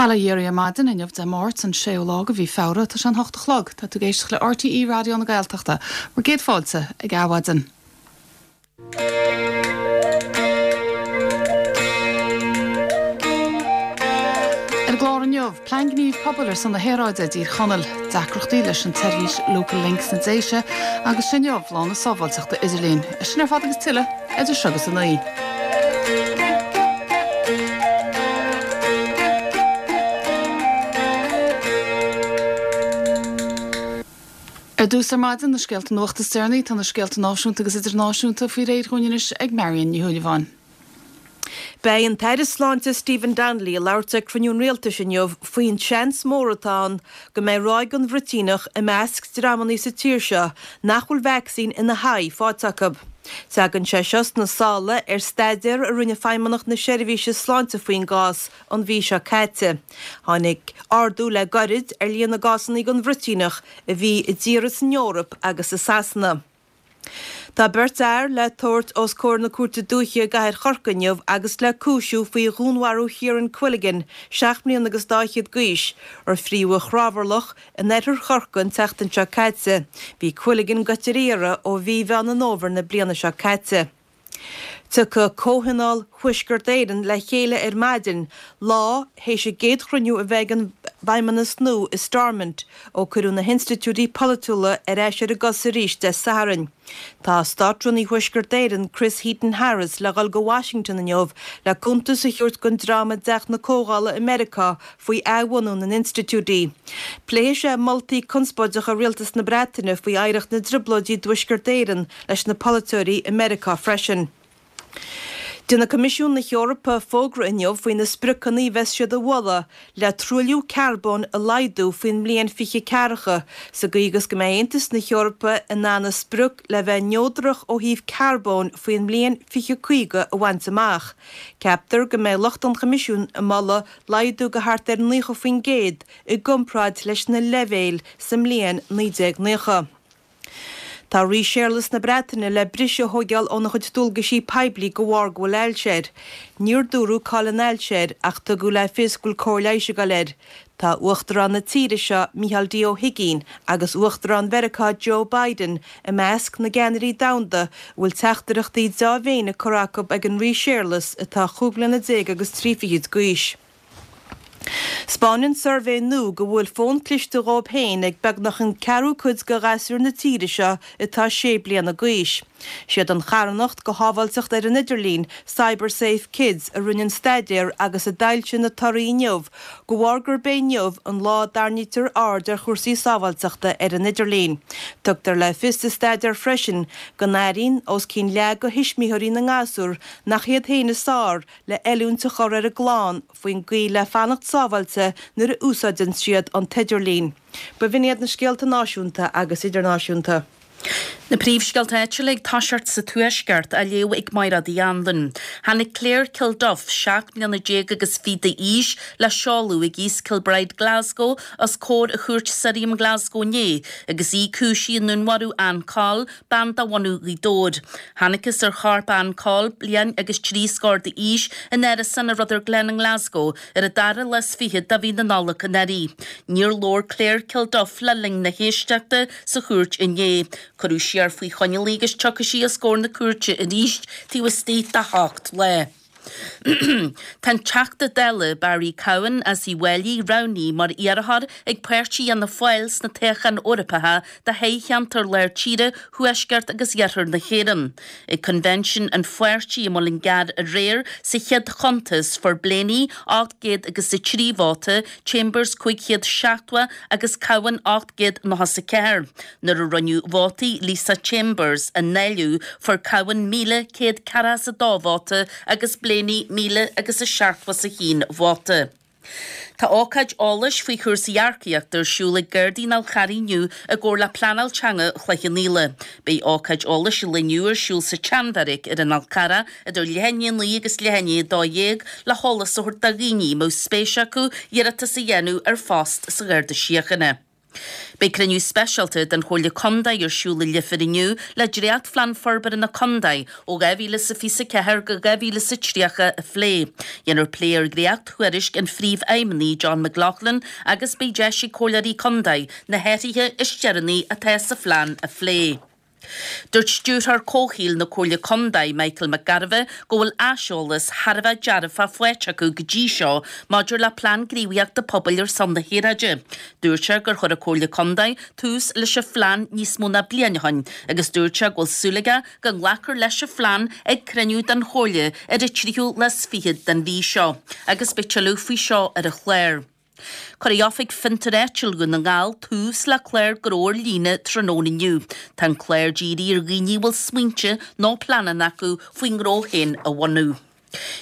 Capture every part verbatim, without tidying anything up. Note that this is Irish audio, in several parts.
Bail ó Dhia oraibh ar maidin inniu Dé Máirt an séú lá de mhí Feabhra tá sé an hocht a chlog tá tú ag éisteacht le RTÉ Raidió na Gaeltachta, bhur gcéad fáilte ag Adhmhaidin. Ar an gclár inniu, plean gnímh pobail ar son na haeráide i dTír Chonaill, deacrachtaí leis an tseirbhís Local Link sna Déise agus is inniu lá na sábháilteachta idirlín. É sin ar fad agus tuilleadh idir seo agus a naoi. Ar dtús ar maidin na scéalta nuachta is deireanaí tá na scéalta náisiúnta agus idirnáisiúnta faoi réir dhúinn anois ag Marion Ní Shúilleabháin. Beidh an tAire Sláinte Stephen Donnelly ag labhairt ag cruinniú an Rialtais inniu faoin seans mór atá ann go mbeidh ráig an bhruitíneach i measc dreamanna sa tír seo nach bhfuil vacsaín ina haghaidh faighte acu. Tagann sé seo sna sála ar staidéar a rinne Feidhmeannacht na Seirbhíse Sláinte faoin gcás an mhí seo caite. Tháinig ardú le gairid ar líon na gcásanna den bhruitíneach a bhí i dtíortha san Eoraip agus i Sasana. Tá beirt fhear le tabhairt os comhair na Cúirte Dúiche i gcathair Chorcaí inniu agus le cúisiú faoi dhúnmharú Chiaran Quilligan, seacht mbliana agus dá fhichead d'aois, ar fríodh i gCrábharlach in oirthear Chorcaí an tseachtain seo caite. Bhí Quilligan goite ar iarraidh ó mhí Mheán an Fhómhair na bliana seo caite. Tiocfaidh Comhthionól Thuaisceart Éireann le chéile ar maidin, lá théis a gcéad chruinniú a bheith ag an bhFeidhmeannas nua i Stormont ó cuireadh na hinstitiúidí polaitiúla ar ais ar a gcosa arís Dé Sathairn. Tá Státrúnaí Thuaisceart Éireann, Chris Heaton-Harris, le dhul go Washington inniu le cuntas a thabhairt don dream i dTeach na Comhdhála i Meiriceá faoi athbhunú na n-institiúidí. Pléifidh sé moltaí conspóideacha Rialtas na Breataine faoi oidhreacht na dTrioblóidí i dTuaisceart Éireann leis na polaiteoirí i Meiriceá freisin. Déanfaidh Coimisiún na hEorpa fógra inniu faoi na spriocanna a bheas siad a mholadh le truailliú carbóin a laghdú faoin mbliain fiche ceathracha sa gcaoi agus go mbeidh Aontas na hEorpa in ann a sprioc le bheith neodrach ó thaobh carbóin faoin mbliain fiche caoga a bhaint amach. Ceaptar go mbeidh lucht an Choimisiúin ag moladh laghdú go thart ar naocha faoin gcéad i gcomparáid leis na leibhéil sa mbliain naoi déag naocha. Tá Rí Séarlas na Breataine le briseadh a thóigeáil óna chuid dualgaisí poiblí de bharr go bhfuil ailse air. Níor dúradh cá'il an ailse air ach tugadh le fios go bhfuil cóir leighis ag dul air. Tá Uachtarán na tíre seo, Micheál D Ó hUigínn, agus Uachtarán Mheiriceá Joe Biden i measc na gceannairí domhanda a bhfuil teachtaireachtaí dea-mhéine curtha acu ag an Rí Séarlas atá chúig bliana déag agus trí fichid d'aois. 'Spáineann suirbhé nua go bhfuil fón cliste dhóib féin ag beagnach an ceathrú cuid de ghasúir na tíre seo atá sé bliana d'aois. Siad an charthanacht do shábháilteacht ar an idirlíon, CyberSafe Kids, a rinne an staidéar agus a d'fhoilsigh na torthaí inniu, de bharr gurb é inniu an lá a dtarraingítear aird ar chúrsaí sábháilteachta ar an idirlíon. Tugtar le fios sa staidéar freisin go n-airíonn os cionn leath de thuismitheoirí na ngasúr nach iad féin is fearr le oiliúint a chur ar a gclann faoin gcaoi le fanacht sábháilte nuair a úsáideann siad an t-idirlíon. B'in iad na scéalta náisiúnta agus idirnáisiúnta. Na príomhscéalta áitiúla ag toiseacht sa Tuaisceart, á léamh ag Mairéad Uí Anluain. Tháinig Claire Kilduff, seacht mbliana déag agus fiche d'aois, le seoladh ag East Kilbride, Glasgow, os comhair Chúirt Sirriam Glasgow inné agus í cúisithe i ndúnmharú Ann Coll, bean de bhunadh Ghaoth Dobhair. Thángthas ar chorp Ann Coll, bliain agus trí scór d'aois, in árasán i Rutherglen i nGlasgow ar an dara lá is fiche de mhí na Nollag anuraidh. Níor labhair Claire Kilduff le linn na héisteachta sa chúirt inné. Cuireadh siar faoi choinneáil í agus tiocfaidh sí os comhair na cúirte arís taobh istigh de hocht lá. Tá an Teachta Dála Barry Cowen as Uíbh Fhailí roghnaithe mar iarrthóir ag páirtí Fhianna Fáil sna toghcháin Eorpacha do thoghcheantar Lár Tíre, Thuaisceart agus Iarthar na hÉireann. Ag coinbhinsiún an pháirtí i Muileann gCearr aréir sa chéad chuntas fuair Blaney ocht gcéad agus a trí vóta, Chambers cúig chéad seachtó agus Cowen ocht gcéad nócha is a ceathair. Nuair a rinneadh vótaí Lisa Chambers a ndáileadh fuair Cowen míle céad ceathracha is a dó vóta agus Blaney míle agus a seachtó is a haon vóta. Tá ócáid eolais faoi chúrsaí earcaíochta ar siúl ag Gardaí an Fhál Charraigh inniu i gcomhar le Pleanáil Teanga Chloich Cheann Fhaola. Beidh ócáid eolais an lae inniu ar siúl sa tSeanbheairic ar an Fhál Carrach idir leath i ndiaidh a naoi agus leath i ndiaidh a dó dhéag le heolas a thabhairt do dhaoine a mbeadh spéis acu iarratas a dhéanamh ar phost sa Gharda Síochána. Beidh cruinniú speisialta den Chomhairle Contae ar siúl i Leifear inniu le dréachtphlean forbartha na contae ó dhá mhíle is a fiche a ceathair go dhá mhíle is a tríocha a phlé. Dhéanfar plé ar dhréacht-thuairisc an Phríomhfheidhmeannaigh John McLaughlin agus beidh deis ag comhairleoirí contae na hathruithe is deireanaí atá sa phlean a phlé. Dúirt Stiúrthóir Comhshaoil na Comhairle Contae, Michael McGarvey, go bhfuil aiseolas thar a bheith dearfach faighte acu go dtí seo maidir le Plean Gníomhaíochta Pobail ar son na hAeráide. Dúirt sé gur chuir an Chomhairle Contae tús leis an phlean níos mó ná bliain ó shin agus dúirt sé go bhfuil súil aige go nglacfar leis an phlean ag cruinniú den Chomhairle ar an tríú lá is fiche den mhí seo agus beidh tuilleadh faoi seo ar an chlár. Cuirfidh Oifig Fiontar Áitiúil Dhún na nGall tús le clár gnó ar líne tráthnóna inniu. Tá an clár dírithe ar dhaoine a bhfuil smaointe nó pleananna acu faoin ngnó féin a bhunú.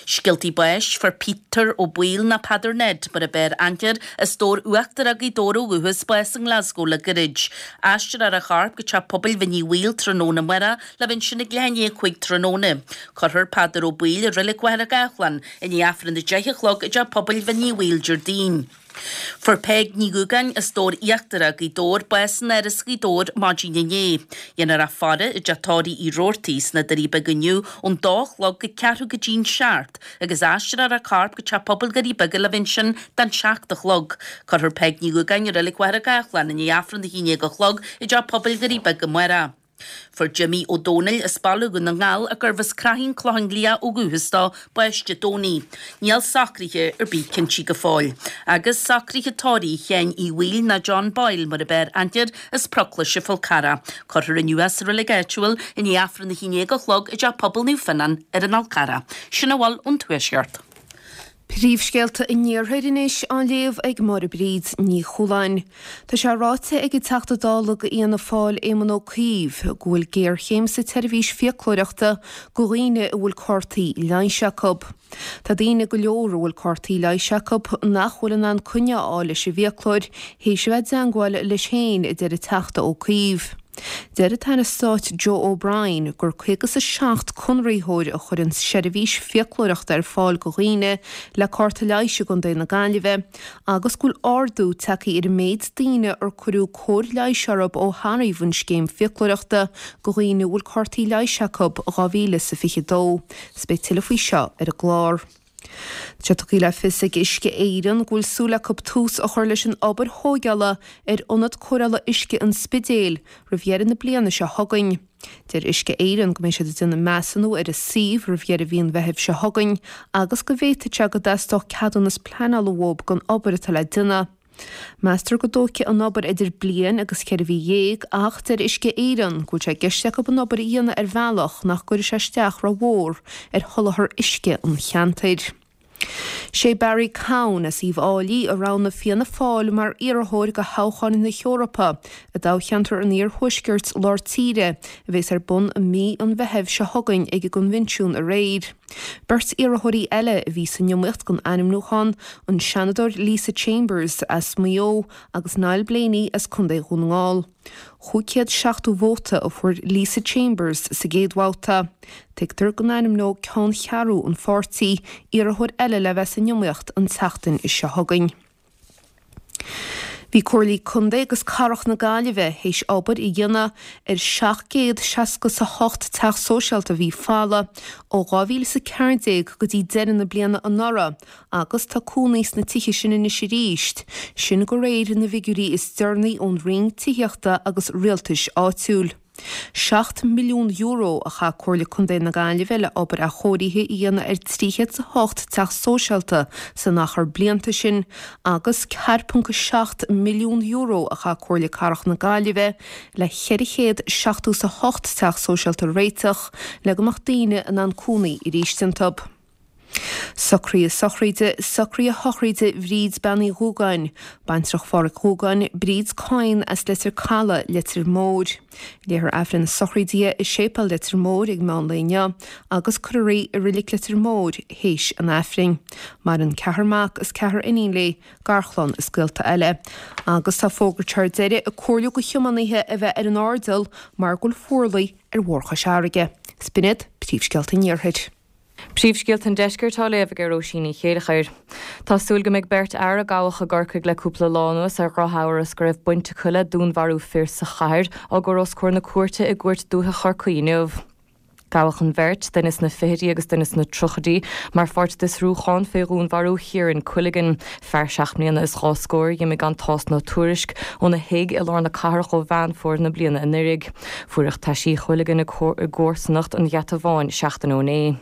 Scéaltaí báis, Fuair Peter Ó Baoill nó Peadar Ned mar a b'fhearr aithne air, as Dobhar Uachtarach Ghaoth Dobhair ó dhúchas, bás i nGlasgow le gairid. Aistreofar a chorp go Teach Pobail Bhinn Uí Bhaoill tráthnóna amárach le bheith ansin ag leath i ndiaidh a cúig tráthnóna. Cuirfear Peadar Ó Baoill i Reilig Mhachaire Gathlán i ndiaidh Aifreann a deich a chlog i dTeach Pobail Bhinn Uí Bhaoill Déardaoin. Fuair Peig Ní Dhúgáin as Dobhar Íochtarach, Gaoth Dobhair, bás in Áras Ghaoth Dobhair maidin inné. Dhéanfar í a faire i dteach tórraimh Uí Robhartaigh sna Doirí Beaga inniu ón dó a chlog go ceathrú go dtí'n seacht agus aistreofar a corp go Teach Pobail Dhoirí Beaga le bheith ansin don seacht a chlog. Cuirfear Peig Ní Dhúgáin i Reilig Mhachaire Gathlán i ndiaidh Aifreann a haon déag a chlog i dTeach Pobail Dhoirí Beaga amárach. Fuair Jimmy Ó Domhnaill as Baile Dhún na nGall, a gurbh as Craithín Clochán Liath ó dhúchas dó, bás Dé Domhnaigh. Níl socruithe ar bith cinntí go fóill. Agus socruithe tórraimh Sheáin Uí Bhaoill ná John Boyle mar a b'fhearr aithne air as Proclais an Fhál Carrach. Cuirfear inniu é sa reilig áitiúil i ndiaidh Aifreann a haon déag a chlog i dTeach Pobail Naomh Fionnán ar an Fhál Carrach. Sin a bhfuil ón Tuaisceart. Príomhscéalta an Iarthair anois á léamh ag Máire Bríd Ní Chualáin. Tá sé ráite ag an Teachta Dála do Fhianna Fáil Éamon Ó Cuív go bhfuil géarchéim sa tseirbhís fiaclóireachta do dhaoine a bhfuil cártaí leighis acu. Tá daoine go leor a bhfuil cártaí leighis acu nach bhfuil in ann coinne a fháil leis an bhfiaclóir théis a bheith i dteangmháil leis féin, a deir an Teachta Ó Cuív. Deir an tAire Stáit Joe O'Brien gur caoga is a seacht conraitheoir a chuireann seirbhís fiaclóireachta ar fáil do dhaoine le cárta leighis i gContae na Gaillimhe agus go bhfuil ardú tagtha ar an méid daoine ar cuireadh cóir leighis orthu ó thairfeadh an scéim fiaclóireachta do dhaoine a bhfuil cártaí leighis acu in dhá mhíle is a fiche dó. 'S beidh tuilleadh faoi seo ar an gclár. Tá sé tugtha le fios ag Uisce Éireann go bhfuil súil acu tús a chur leis an obair thóigeála ar Ionad Cóireála Uisce an Spidéil roimh dheireadh na bliana seo chugainn. Deir Uisce Éireann go mbeidh siad ag déanamh measúnú ar an suíomh roimh dheireadh mhí an Mheithimh seo chugainn agus go bhféadfadh sé go dteastódh ceadúnas pleanála uathu don obair atá le déanamh. Meastar go dtógfaidh an obair idir bliain agus ceithre mhí dhéag ach deir Uisce Éireann go bhfuil sé i gceist acu an obair a dhéanamh ar bhealach nach gcuirfidh sé isteach rómhór ar sholáthar uisce an cheantair. Sé Barry Cowen as Uíbh Fhailí a roghnaigh Fianna Fáil mar iarrthóir do thoghchán na hEorpa i dtoghcheantar an Iarthuaiscirt Lár Tíre a bheas ar bun i mí an Mheithimh seo chugainn ag an gcoinbhinsiún aréir. Beirt iarrthóirí eile a bhí san iomaíocht don ainmniúchán, an Seanadóir Lisa Chambers as Maigh Eo agus Niall Blaney as Contae Dhún na nGall. Chúig chéad seachtó vóta a fuair Lisa Chambers sa gcéad bhabhta. Tuigtear go n-ainmneoidh ceanncheathrú an pháirtí iarrthóir eile le bheith san iomaíocht an tseachtain seo chugainn. Bhí Comhairlí Contae agus Cathrach na Gaillimhe théis obair a dhéanamh ar seacht gcéad seasca is a hocht teach sóisialta a bhí folamh ó dhá mhíle is a ceathair déag go dtí deireadh na bliana anuraidh agus tá cónaí sna tithe sin anois arís, sin de réir na bhfigiúirí is deireanaí ón Roinn Tithíochta agus Rialtais Áitiúil. Seacht milliún euro a chaith Comhairle Contae na Gaillimhe le obair athchóirithe a dhéanamh ar trí chéad is a hocht teach sóisialta san achar blianta sin agus ceathair ponc a seacht milliún euro a chaith Comhairle Cathrach na Gaillimhe le ceithre chéad seachtó is a hocht teach sóisialta a réiteach le go mbeadh daoine in ann cónaí arís iontu. Socruithe sochraide, Socruithe sochraide Bhríd Bean Uí Dhúgáin, baintreach Pháraic Dhúgáin, Bríd Coyne as Leitir Caladh, Leitir Móir. Léifear Aifreann na sochraide di i Séipéal Leitir Móir ag meán lae inniu agus cuirfear í i Reilig Leitir Móir théis an Aifrinn. Maireann ceathrar mac is ceathrar iníon léi, garchlann is gaolta eile. Agus tá fógairt thar deireadh ag comhairliú do thiománaithe a bheith ar an airdeall mar go bhfuil fuarlaigh ar Bhóthar Chois Fharraige. 'S b'in iad príomhscéalta an Iarthair. Príomhscéalta an Deiscirt á léamh ag Róisín Ní Chéilleachair. Tá súil go mbeidh beirt fhear a gabhadh i gCorcaigh le cúpla lá anuas ar dhrochamhras go raibh baint acu le dúnmharú fir sa chathair á gcur os comhair na cúirte i gCúirt Dúiche Chorcaí inniu. Gabhadh an bheirt, duine sna fichidí agus duine sna tríochaidí, mar pháirt d'fhiosrúchán fé dhúnmharú Chiaran Quilligan, fear seacht mbliana is dhá scór a dh'imigh gan tásc ná tuairisc óna thigh i lár na cathrach ó Mheán Fómhair na bliana anuraidh. Fuaireadh taisí Quilligan i gcomharsanacht an Gheata Bháin seachtain ó inné.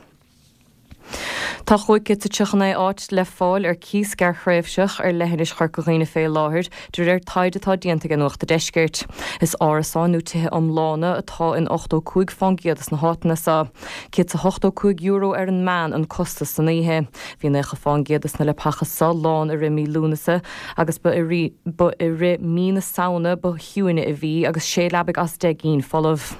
Tá chúig chéad is tríocha naoi áit le fáil ar cíos gearrthréimhseach ar leithinis Chorca Dhuibhne fé láthair, de réir taighde atá déanta ag Nuacht an Deiscirt. Is árasáin nó tithe iomlána atá in ochtó cúig fán gcéad des na háiteanna seo. Céad is a hochtó cúig euro ar an meán an costas san oíche. Bhí naocha fán gcéad des na leapacha seo lán i rith mí Lúnasa agus ba i rith mí na Samhna ba chiúine a bhí agus sé leabaidh as deich gcinn folamh.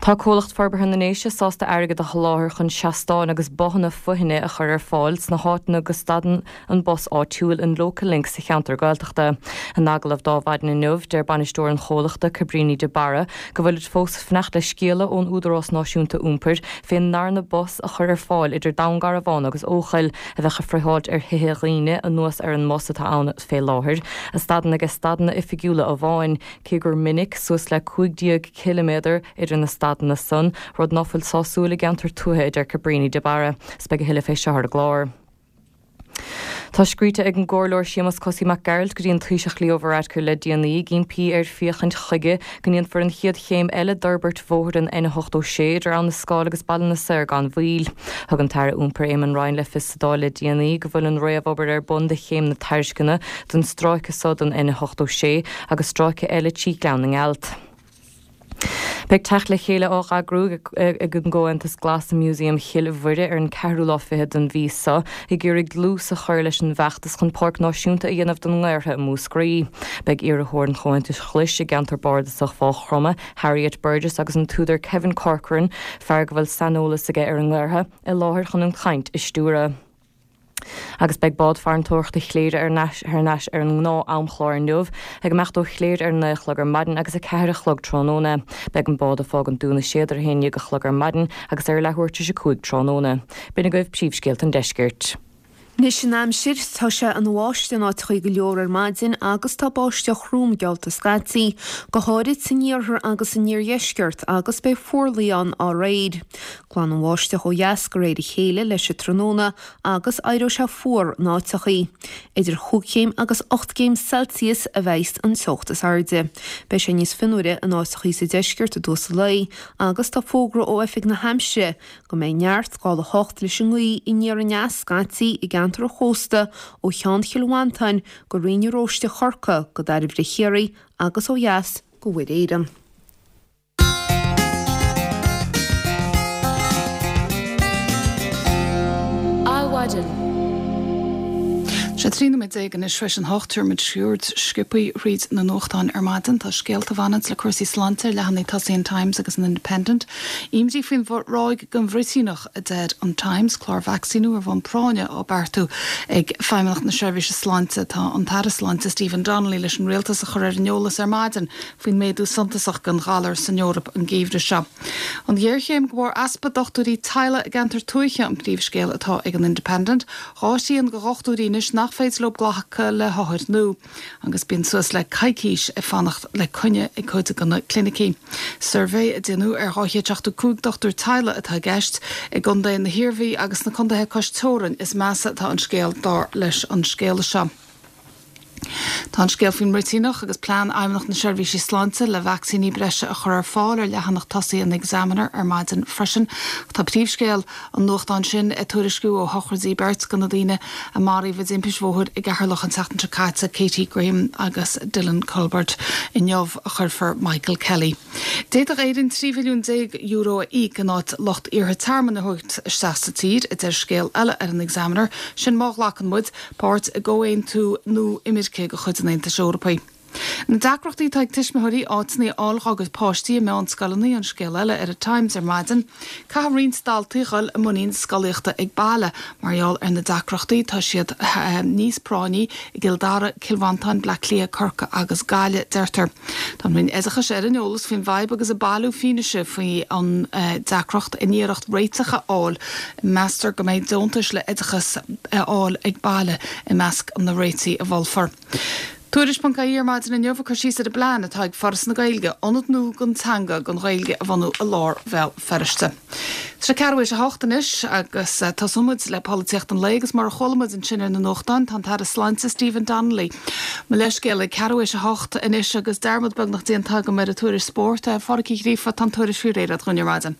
Tá Comhlacht Forbartha na nDéise sásta airgead a sholáthar chun seastáin agus bothanna foithne a chur ar fáil sna háiteanna go stadann an bus áitiúil, an Local Link, sa cheantar Gaeltachta. In agallamh d'Adhmhaidin inniu, deir bainisteoir an chomhlachta, Cabríní de Barra, go bhfuilid fós ag fanacht le scéala ón Údarás Náisiúnta Iompair fén ndarna bus a chur ar fáil idir Dún Garbhán agus Eochaill, a bheadh ag friotháilt ar thithe dhaoine anuas ar an mbus atá ann fé láthair, a stadann ag stadanna oifigiúla amháin, cé gur minic suas le cúig déag ciliméadar idir na stadanna san, rud ná fuil sásúil i gceantar tuaithe, a deir Cabríní de Barra. 'S beidh a thuilleadh fé seo ar an gclár. Tá scríte ag an gComhairleoir Séamus Cosaí Mac Gearailt go dtí an Taoiseach Leo Varadkar le déanaí, ag impí air féachaint chuige go ndéanfar an chéad chéim eile d'fhorbairt bhóthar an N ochtó sé idir Abha na Scáil agus Baile na Saor gan mhoill. Thug an tAire Iompair Eamon Ryan le fios sa Dáil le déanaí go bhfuil an réamhobair ar bun do chéim na tairisceana don stráice so den N ochtó sé agus stráice eile trí Ghleann na nGealt. Beidh teacht le chéile á eagrú ag an gComhaontas Glas i Músaem Chill Mhuire ar an ceathrú lá fichead den mhí seo ag iarraidh dlús a chur leis an bhfeachtas chun Páirc Náisiúnta a dhéanamh den nGaorthadh i Múscraí. Beidh iarrthóir an Chomhaontais Ghlais i gceantar bardasach Mhaigh Chromtha, Harriet Burgess agus an t-údar Kevin Corcoran, fear go bhfuil saineolas aige ar an nGaorthadh, i láthair chun an chaint a stiúradh. Agus beidh bád farantóireachta Chléire ar ais ar an ngnáth-amchlár inniu, ag imeacht ó Chléire ar a naoi a chlog ar maidin agus a ceathair a chlog tráthnóna. Beidh an bád ag fágaint Dún na Séad ar a haon déag a chlog ar maidin agus ar a leathuair tar éis a cúig tráthnóna. B'in agaibh príomhscéalta an deiscirt. Anois an aimsir, tá sé ina bháisteach in áiteachaí go leor ar maidin agus tá báisteach throm geallta scaití, go háirid san iarthar agus san iardheisceart agus beidh fuarlaigh ann dá réir. Glanfaidh an bháisteach ó dheas de réir a chéile leis an tráthnóna agus éireoidh sé fuar in áiteachaí. Idir chúig chéim agus ocht gcéim Celsius a bheidh an teocht is airde. Beidh sé níos fionnuaire in áiteachaí sa deisceart i dtús an lae agus tá fógra ó Oifig na hAimsire go mbeidh neart scála a hocht leis an ngaoth aniar aneas scaití i gceantar an chósta ó Cheann Chill Mhantáin go Rinn na Róiste Chorcaí go Dairbhre Chiarraí agus ó dheas go Mhuir Éireann. Adhmhaidin. Sé trí nóiméad déag anois tar éis an hocht, tabharfaimid cuairt sciobtha thríd na nuachtáin ar maidin. Tá scéalta a bhaineanns le cúrsaí sláinte ar leathanaigh tosaigh an Times agus an Independent. Imní faoin ráig den bhruitíneach, a deir an Times, clár vacsaíniú ar bhonn práinne á beartú ag Feidhmeannacht na Seirbhíse Sláinte. Tá an tAire Sláinte Stephen Donnelly leis an Rialtas a chur ar an eolas ar maidin faoin méadú suntasach den ghalar san Eoraip an geimhreadh seo. An ghéarchéim de bharr easpa dochtúirí teaghlaigh i gceantar tuaithe an príomhscéal atá ag an Independent. Dhá thrian de dhochtúirí anois nach féidir leo glacadh le hothair nua agus bíonn suas le coicís ag fanacht le coinne ag cuid de na clinicí. Suirbhé a déanadh ar dhá chéad seachtó cúig dochtúir teaghlaigh atá i gceist. I gcontae na hIarmhí agus sna contaetha cois teorann is measa atá an scéal dar leis an scéala seo. Tá an scéal faoin mbruitíneach agus plean Fheidhmeannacht na Seirbhíse Sláinte le vacsaíní breise a chur ar fáil ar leathanach tosaigh an Examiner ar maidin freisin. Tá príomhscéal an nuachtáin sin ag tuairisciú ó shochraidí beirt de na daoine a maraíodh i dtimpist bhóthair i gCeatharlach an tseachtain seo caite, Katie Graham agus Dylan Culbert. Inniu a chuirfear Michael Kelly. D'fhéadfadh Éirinn trí bhilliún déag euro a íoc in áit lucht iarrtha tearmainn a thabhairt isteach sa tír, a deir scéal eile ar an Examiner, sin má ghlacann muid páirt i gcomhaontú nua imirce de chuid an Aontais Eorpaigh. Na deacrachtaí atá ag tuismitheoirí áiteanna a fháil dá gcuid páistí i meánscoileanna an scéal eile ar an Times ar maidin. Caithfidh roinnt daltaí dhul i muinín scolaíochta ag baile mar gheall ar na deacrachtaí tá siad níos práinní i gCill Dara, Cill Mhantáin, Bleá Cliath, Corcaigh agus Gaillimh, deirtear. Tá an Roinn Oideachais ar an eolas faoin bhfadhb agus ag bailiú fianaise faoi an deacracht in iarracht réiteach a fháil. Meastar go mbeidh deontais le oideachas a fháil ag baile i measc na réitigh a mholfar. Tuairisc ponc ie ar maidin inniu ag cur síos ar an bplean atá ag Foras na Gaeilge ionad nua don teanga don Ghaeilge a bhunú i lár Bhéal Feirste. Tá sé ceathrú théis a hocht anois agus tosóidh muid le polaitíocht an lae agus mar a chuala muid ansin ar na nuachtáin tá an tAire Sláinte Stephen Donnelly. Mo leithscéal ag ceathrú théis a hocht anois agus dearmad beagnach déanta agam ar an tuairisc spóirt. Phádraic Uí Ghríofa tá an tuairisc faoi réir agat ar maidin.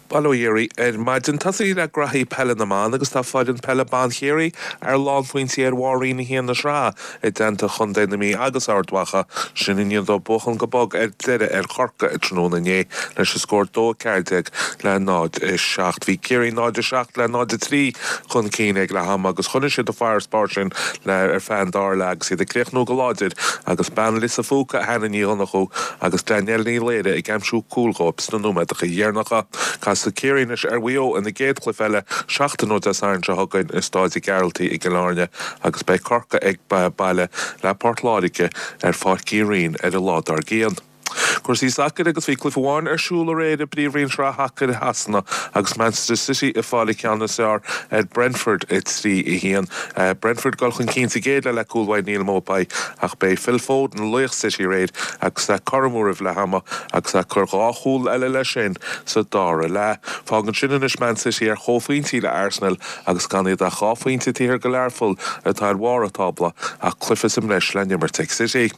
Bail ó Dhia oraibh ar maidin. Tosaí le graithí peile na mban agus tá foireann peile ban Chiarraí ar lánphointí ar bharr Roinn a haon na sraithe i dteannta chontae na Mí agus Ard Mhacha, sin i ndiaidh dóibh buachan go bog ar deireadh ar Chorcaigh tráthnóna inné leis an scór dó a ceathair déag le náid a seacht. Bhí Ciarraí náid a seacht le náid a trí chun cinn ag leath ama agus choinnigh siad an farasbarr sin le ar feadh an dara leath agus iad ag críochnú go láidir agus bean Lios an Phúca Hannah Ní Dhonnchú agus Danielle Ní Laoire ag aimsiú cúil dhóibh sna nóiméadacha dheireanacha. Casfaidh Ciarraí anois ar Mhaigh Eo ina gcéad chluiche eile seachtain ó Dé Sathairn seo chugainn i Staid Ghearaltaigh i gCill Airne agus beidh Corcaigh ag baile le Port Láirge ar Pháirc Uí Rinn ar an lá dár gcionn. Cúrsaí sacair agus bhí cluiche amháin ar siúl aréir i bPríomhroinn Sraith Shacair Shasana agus Manchester City ag fáil an ceann is fearr ar Brentford a trí a haon. Brentford dul chun cinn sa gcéad leath le cúl uaidh Neal Maupay ach b'é Phil Foden laoch City aréir agus é cothrom roimh leath ama agus é ag cur dhá chúl eile leis sin sa dara leath. Fágann sin anois Man City ar chomhphointí le Arsenal agus gan iad ach dhá phointe taobh thiar de Learpholl atá ar bharr an tábla ach cluiche sa mbreis le n-imirt ag City.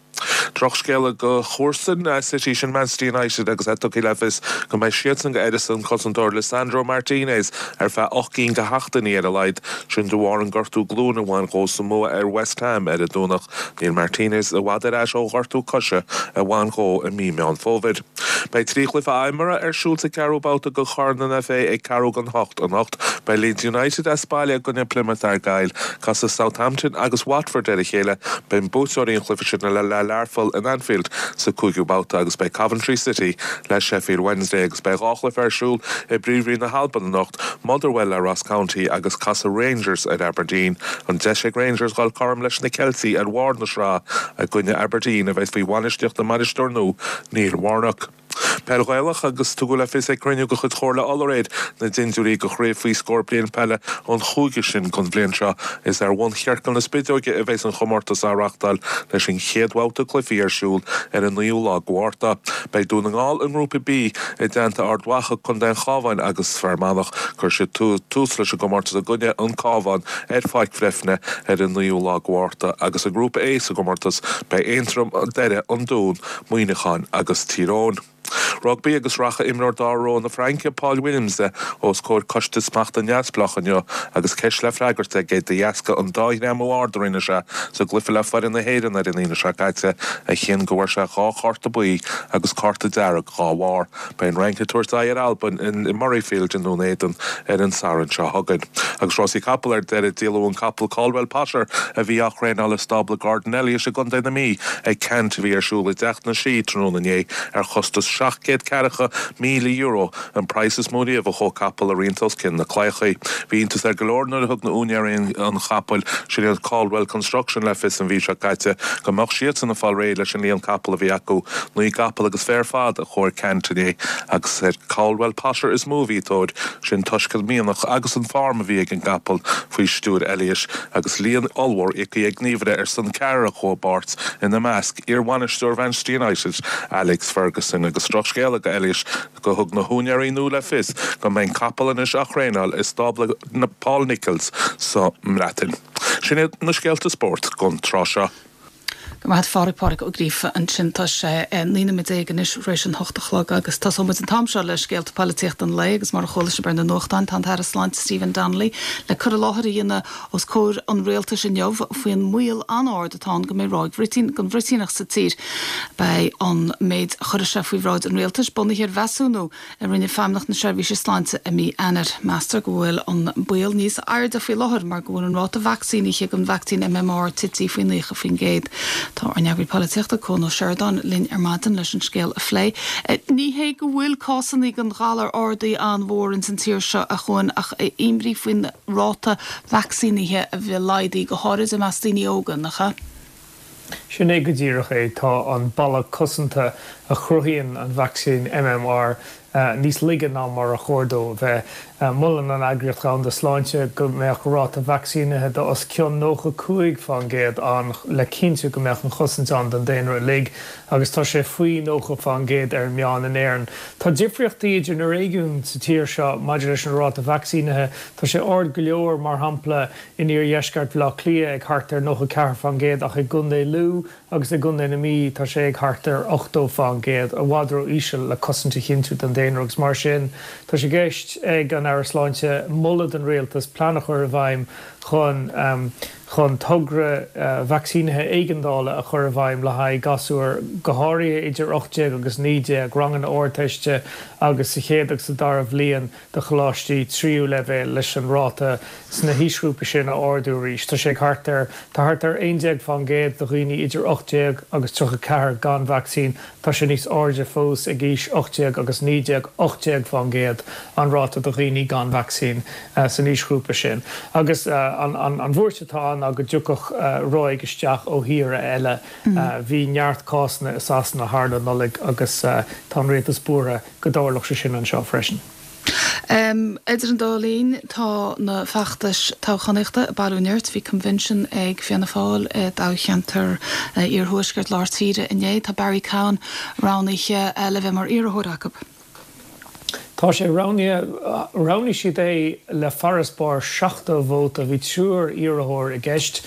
Drochscéala do chomharsain City sin Manchester United agus é tugtha le fios go mbeidh siadsan go an cosantóir Lisandro Martinez ar feadh ocht gcinn de sheachtainí ar a laghad sin de bharr an gortú glúine a bhain dhó sa mbua ar West Ham ar an Domhnach. Níl Martinez i bhfad ar ais ó ghortú coise a bhain dhó i mí Meán Fómhair. Beidh trí chluiche imeartha ar siúl sa ceathrú babhta de Chorn an FA ag ceathrú don hocht anocht. Beidh Leeds United as baile i gcoinne Plymouth Argyle, casfaidh Southampton agus Watford ar a chéile, beidh buaiteoirí an chluiche sin le le Learpholl in Anfield sa cúigiú babhta agus beidh Coventry City le Sheffield Wednesday agus beidh dhá chluiche ar siúl i bPríomhroinn na hAlban anocht Motherwell le Ross County agus casfaidh Rangers ar Aberdeen. An deis ag Rangers dul cothrom leis na Ceiltigh ar bharr na sraithe i gcoinne Aberdeen a bheas faoi bhainistíocht na mbainisteoir nua Neil Warnock. Peil Ghaelach agus tugadh le fios ag cruinniú de chuid Chomhairle Uladh aréir na dintiúirí do chraobh faoi scór bliain peile an chúige sin don bhliain seo. Is ar bhun Chiorcal na Spideoige a bheas an chomórtas á reáchtáil leis an chéad bhabhta cluichí ar siúl ar an naoú lá de Mhárta. Beidh Dún na nGall i ngrúpa B i dteannta Ard Mhacha, Contae an Chabháin agus Fear Manach. Cuirfidh siad tús leis an gcomórtas i gcoinne an Cabhán ar Pháirc Bhreifne ar an naoú lá de Mhárta agus i ngrúpa A sa gcomórtas beidh Aontroim, Doire, an Dún, Muineachán agus Tír Eoghain. Rugbaí agus rachaidh imreoir dara ró na Fraince Paul Williams os comhair coiste smachta neamhspleách inniu agus ceist le freagairt aige de dheasca an dá ghreamú ard a rinne sé sa gcluiche le foireann na hÉireann ar an Aoine seo caite a chinn go bhfuair sé dhá chárta buí agus cárta dearg dhá bharr. Beidh an Fhrainc ag tabhairt aghaidh ar Albain in Murrayfield i nDún Éideann ar an Satharn seo chugainn. Agus rásaí capall ar deireadh díoladh an capall Caldwell Potter a bhí á thraenáil i stábla Gordon Elliott i gContae na Mí ag ceant a bhí ar siúl i dTeach na Sí tráthnóna inné ar chostas seacht gcéad ceathracha míle euro, an praghas is mó riamh a chuaigh capall a roinnt os cionn na claíochaí. Bhí iontas ar go leor nuair a thug na úinéirí an chapaill, sin iad Caldwell Construction, le fios an mhí seo caite go mbeadh siadsan ag fáil réidh leis an líon capall a bhí acu, naoi gcapall agus fiche ar fad a chuaigh ar ceant inné agus ar Caldwell Potter is mó a bhí tóir, sin toisc an mianach agus an form a bhí ag an gcapall faoi stiúir Elliott agus líon ollmhór íoctha ag gníomhaire ar son ceathrar a chuaigh i bpáirt, ina measc, iarbhainisteoir Mhanchester United, Alex Ferguson agus drochscéala do Elliott go thug na húinéirí nua le fios go mbeidh an capall anois á thraenáil i stábla Paul Nicholls sa mBreatain. Sin iad na scéalta spóirt don tráth seo. Go raibh maith agat a Phádraig, Pádraig Ó Gríofa ansin. Tá sé naoi nóiméad déag anois tar éis an hocht a chlog agus tosóidh muid an t-am seo le scéalta polaitíochta an lae agus mar a chuala sibh ar na nuachtáin tá an tAire Sláinte Stephen Donnelly le cur i láthair a dhéanamh os comhair an rialtais inniu faoin mbaol an-ard atá ann go mbeidh ráig bhruitín den bhruitíneach sa tír. Beidh an méid a chuirfidh sé faoi bhráid an rialtais bunaithe ar mheasúnú a rinne Feidhmeannacht na Seirbhíse Sláinte i mí Eanáir. Meastar go bhfuil an baol níos airde faoi láthair mar go bhfuil an ráta vacsaínithe den vacsaín MMR tite faoi naocha faoin gcéad. Tá ár n-eagraí polaitíochta Cuan Ó Seireadáin linn ar maidin leis an scéal a phlé. Ní hé go bhfuil cásanna den ghalar ardaithe an-mhór ins an tír seo a Chuain ach imní faoin ráta vacsaínithe a bheith laghdaithe go háirid i measc daoine óga, nach ea? Sin é go díreach é tá an balla cosanta a chruthaíonn an vacsaín MMR níos laige ná mar a chóir dó bheith. Molann an Eagraíocht Dhomhanda Sláinte go mbeadh ráta vacsaínithe de os cionn nócha cúig faoin gcéad ann le cinntiú go mbeadh an chosaint ann don daonra uilig agus tá sé faoi nócha faoin gcéad ar an meán in Éirinn. Tá difríochtaí idir na réigiúin sa tír seo maidir leis an ráta vacsaínithe. Tá sé ard go leor mar shampla in iardheisceart Bhaile Átha Cliath ag thart ar nócha ceathair faoin gcéad ach i gContae Lú agus i gContae na Mí tá sé ag thart ar ochtó faoin gcéad, i bhfad ró-íseal le cosaint a chinntiú don daonra agus mar sin tá sé i gceist ag an Aire Sláinte moladh don Rialtas plean a chur i bhfeidhm chun chun togra vacsaínithe éigeandála a chur i bhfeidhm le haghaidh gasúir go háirithe idir ocht déag agus naoi déag, ranganna Ardteiste agus sa chéad agus sa dara bhliain de choláistí tríú leibhéal leis an ráta sna haoisghrúpaí sin a ardú arís. Tá sé thart ar tá thart ar aon déag faoin gcéad de dhaoine idir ocht déag agus tríocha ceathair gan vacsaín, tá sé níos airde fós ag aois ocht déag agus naoi déag, ocht déag faoin gcéad an ráta de dhaoine gan vacsaín san aoisghrúpa sin. Agus an an bhuairt atá ann ná go dtiocfadh ráig isteach ó thíortha eile. Bhí neart cásanna i Sasana thar an Nollaig agus tá an rialtas buartha go dtarlódh sé sin anseo freisin. Idir an dá linn tá na feachtais toghchánaíochta ag bailiú nirt. Bhí convention ag Fianna Fáil i dtoghcheantar iarthuaisceart lár tíre inné. Tá Barry Cowen roghnaithe le bheith mar iarrthóir acu. Tá sé roghnaithe, roghnaigh siad é le farasbarr seachtó vóta, bhí triúr iarrthóir i gceist.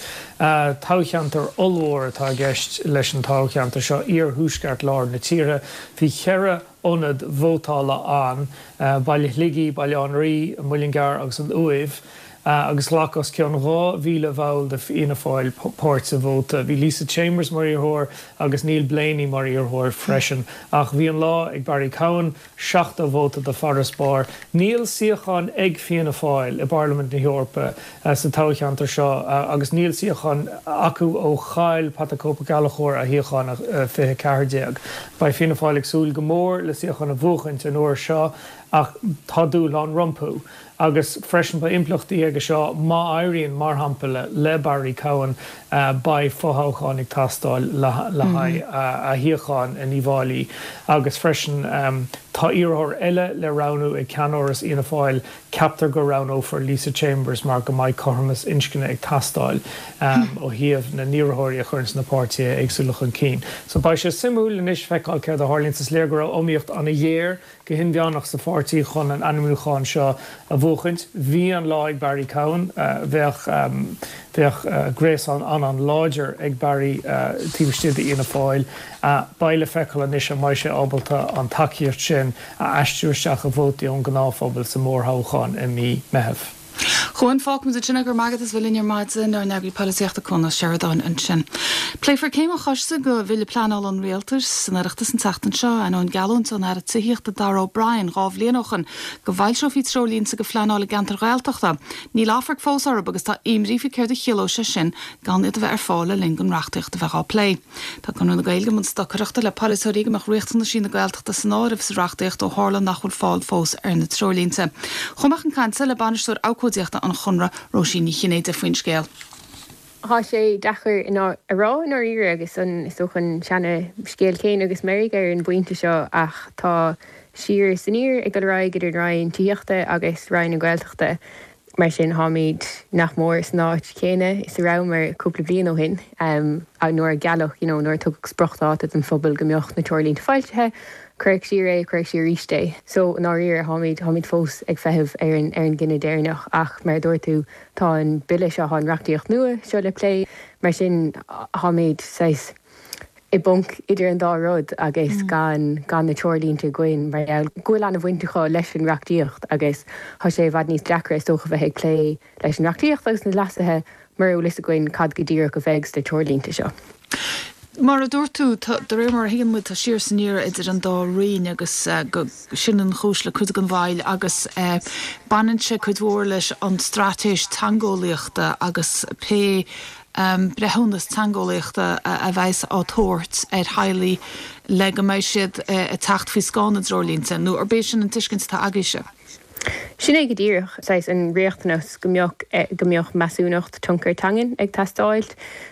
Toghcheantar ollmhór atá i gceist leis an toghcheantar seo, iarthuaisceart lár na tíre. Bhí ceithre ionad vótála ann, Baile Shligigh, Baile Átha an Rí, an Muileann gCearr agus an Uaimh, agus ghlac os cionn dhá mhíle bhall de Fhianna Fáil páirt sa vóta. Bhí Lisa Chambers mar iarrthóir agus Neil Blaney mar iarrthóir freisin, ach bhí an lá ag Barry Cowen, seachtó vóta de farasbarr. Níl suíochán ag Fianna Fáil i bParlaimint na hEorpa sa toghcheantar seo agus níl suíochán acu ó chaill Pat the Cope Gallchóir a shuíochán i fiche ceathair déag. Beidh Fianna Fáil ag súil go mór le suíochán a bhuachaint an uair seo ach tá dúshlán rompu. Agus freisin beidh impleachtaí aige seo má éiríonn, mar shampla, le Barry Cowen, beidh fothoghchán ag teastáil le haghaidh a shuíocháin in Uíbh Fhailí. Agus freisin tá iarrthóir eile le roghnú ag ceannáras Fhianna Fáil, ceaptar go roghnófar Lisa Chambers mar go mbeidh cothromas inscne ag teastáil ó thaobh na n-iarrthóirí a chuireanns na páirtithe éagsúla chun cinn. So beidh sé suimiúil anois feiceáil céard a tharlaíonns. Is léir go raibh iomaíocht an-ghéar go hinmheánach sa pháirtí chun an ainmniúchán seo a bhuachaint. Bhí an lá ag Barry Cowen. Bheadh bheadh gréasán an-an-láidir ag Barry taobh istigh d'Fhianna Fáil. Beidh le feiceáil anois an mbeidh sé ábalta an tacaíocht sin a aistriú isteach i vótaí ón ngnáthphobal sa mhórthoghchán i mí Meitheamh. Chuan, fágfaimid ansin é, go raibh maith agat as bheith linn ar maidin, ár n-eagraí polaitíochta Cuan Ó Seireadáin ansin. Pléifear céim an choiste do bhille pleanála an Rialtais san Oireachtas an tseachtain seo, ainneoin geallúint ón Aire Tithíochta Darragh O'Brien dhá bhliain ó shin go bhfoilseofaí treoirlínte do phleanáil i gceantair Ghaeltachta. Níl amharc fós orthu agus tá imní faoi céard a chiallódh sé sin gan iad a bheith ar fáil le linn don reachtaíocht a bheith á plé. Tá Conradh na Gaeilge i mbun stocaireachta le polaiteoirí go mbeadh riachtanaisí na Gaeltachta san áireamh sa reachtaíocht ó tharla nach bhfuil fáil fós ar na treoirlínte. Chuaigh mé chun cainte le bainisteoir abhcóideachta an Chonradh, Róisín Ní Chinnéide faoin scéal. Tá sé deacair a rá i ndáiríre agus an is dócha an seana-scéal céanna agus meirg ar an bpointe seo ach tá siar is aniar ag dul ar aghaidh idir an Roinn Tithíochta agus Roinn na Gaeltachta. Mar sin táimid nach mór san áit chéanna is a rabhamar cúpla bliain ó shin nuair a gealladh you know nuair a tugadh spriocdháta don phobal go mbeadh na treoirlínte foilsithe, cuireadh siar é, cuireadh siar arís é. So i ndáiríre táimid táimid fós ag feitheamh ar an ar an gcinneadh deireanach ach mar a dúirt tú tá an bille seo tá an reachtaíocht nua seo le plé mar sin táimid saghas i bponc idir an dá rud agus gan gan na treoirlínte againn mar gheall go bhfuil an-bhaint acu leis an reachtaíocht agus tá sé i bhfad níos deacra is dócha bheith ag plé leis an reachtaíocht agus na leasuithe mura bhfuil fhios againn cad go díreach a bheidh sna treoirlínte seo. Mar a dúirt tú, tá, de réir mar a thuigeann muid, tá siar is aniar idir an dá roinn agus go, sin an chúis le cuid den mhoill agus baineann sé cuid mhór leis an straitéis teangeolaíochta agus pé breithiúnas teangeolaíochta a bheas á tabhairt ar theaghlaigh le go mbeidh siad ag teacht faoi scáth na dtreoirlínte, nó arb é sin an tuiscint atá agaibhse? Sin é go díreach, saghas an riachtanas go mbeadh go mbeadh measúnacht tionchar teangan ag teastáil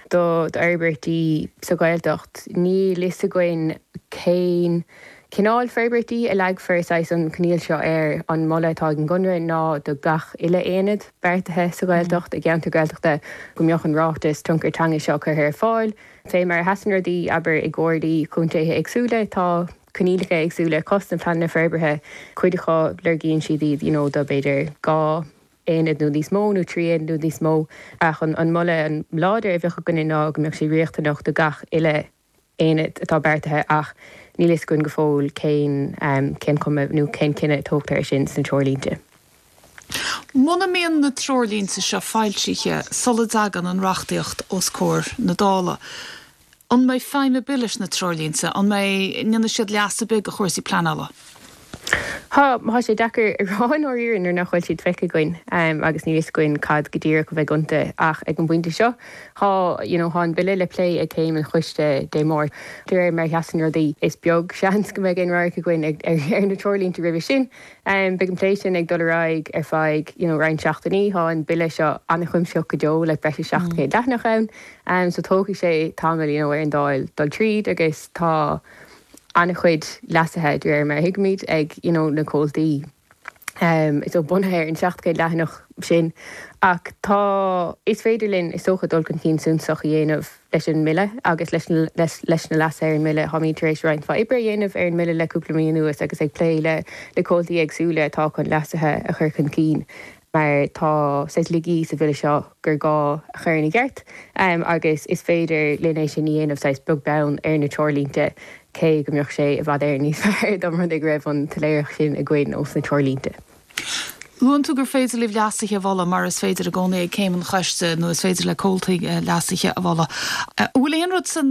do d'fhorbairtí sa Ghaeltacht. Níl fhios againn cén cineál forbairtí a leagfar saghas an coinníoll seo air. An moladh atá ag an gConradh ná do gach uile aonad beartaithe sa Ghaeltacht, i gceantar Gaeltachta, go mbeadh an ráiteas tionchar teanga seo curtha ar fáil. Fé mar a sheasann rudaí, abair, i gcomhairlí contaetha éagsúla, tá coinníollacha éagsúla acu sna pleananna forbartha, cuid acu lorgaíonn siad iad you know do b'fhéidir dhá aonad nó níos mó nó trí aonad nó níos mó ach an moladh láidir a bheadh againne ná go mbeadh sé riachtanach do gach uile aonad atá beartaithe ach níl fhios againn go fóill cén cén cuma nó cén cinneadh a tógtar air sin sna treoirlínte. Muna mbíonn na treoirlínte seo foilsithe sula dtagann an reachtaíocht os comhair na Dála, an mbeidh feidhm ar bith leis na treoirlínte? An mbeidh, ndéanfaidh siad leas ar bith do chúrsaí pleanála? Tá, tá sé deacair a rá i ndáiríre nuair nach bhfuil siad feicthe againn agus níl fhios againn cad go díreach a bheidh iontu ach ag an bpointe seo tá, you know, tá an Bille le plé ag céim an choiste Dé Máirt. De réir mar a sheasann rudaí, is beag seans go mbeidh aon radharc againn ar na treoirlínte roimhe sin. Beidh an plé sin ag dul ar aghaidh ar feadh, you know, roinnt seachtainí. Tá an Bille seo an-chuimsitheach go deo, like breis is seacht gcéad leathanach ann, so tógfaidh sé tamall, you know, ar an Dáil dul tríd agus tá, an-chuid leasuithe, de réir mar a thuigimid, ag you know na comhaltaí so bunaithe ar an seacht gcéad leathanach sin. Ach tá, is féidir linn, is dócha, dul chun cinn suntasach a dhéanamh leis an mBille agus leis na leis na leasuithe ar an mBille. Táimid tar éis roinnt mhaith oibre a dhéanamh ar an mBille le cúpla mí anuas agus ag plé le le comhaltaí éagsúla atá chun leasuithe a chur chun cinn. mar tá saghas laigí sa Bhille seo gur gá a chur ina gceart agus is féidir linn é sin a dhéanamh saghas beag beann ar na treoirlínte, cé go mbeadh sé i bhfad Éireann níos fearr dá mba rud é go raibh an tsoiléireacht sin againn ós na treoirlínte. Luann tú gur féidir libh leasuithe a mholadh, mar is féidir i gcónaí ag céim an choiste nó is féidir le comhaltaí leasuithe a mholadh. An bhfuil aon rud san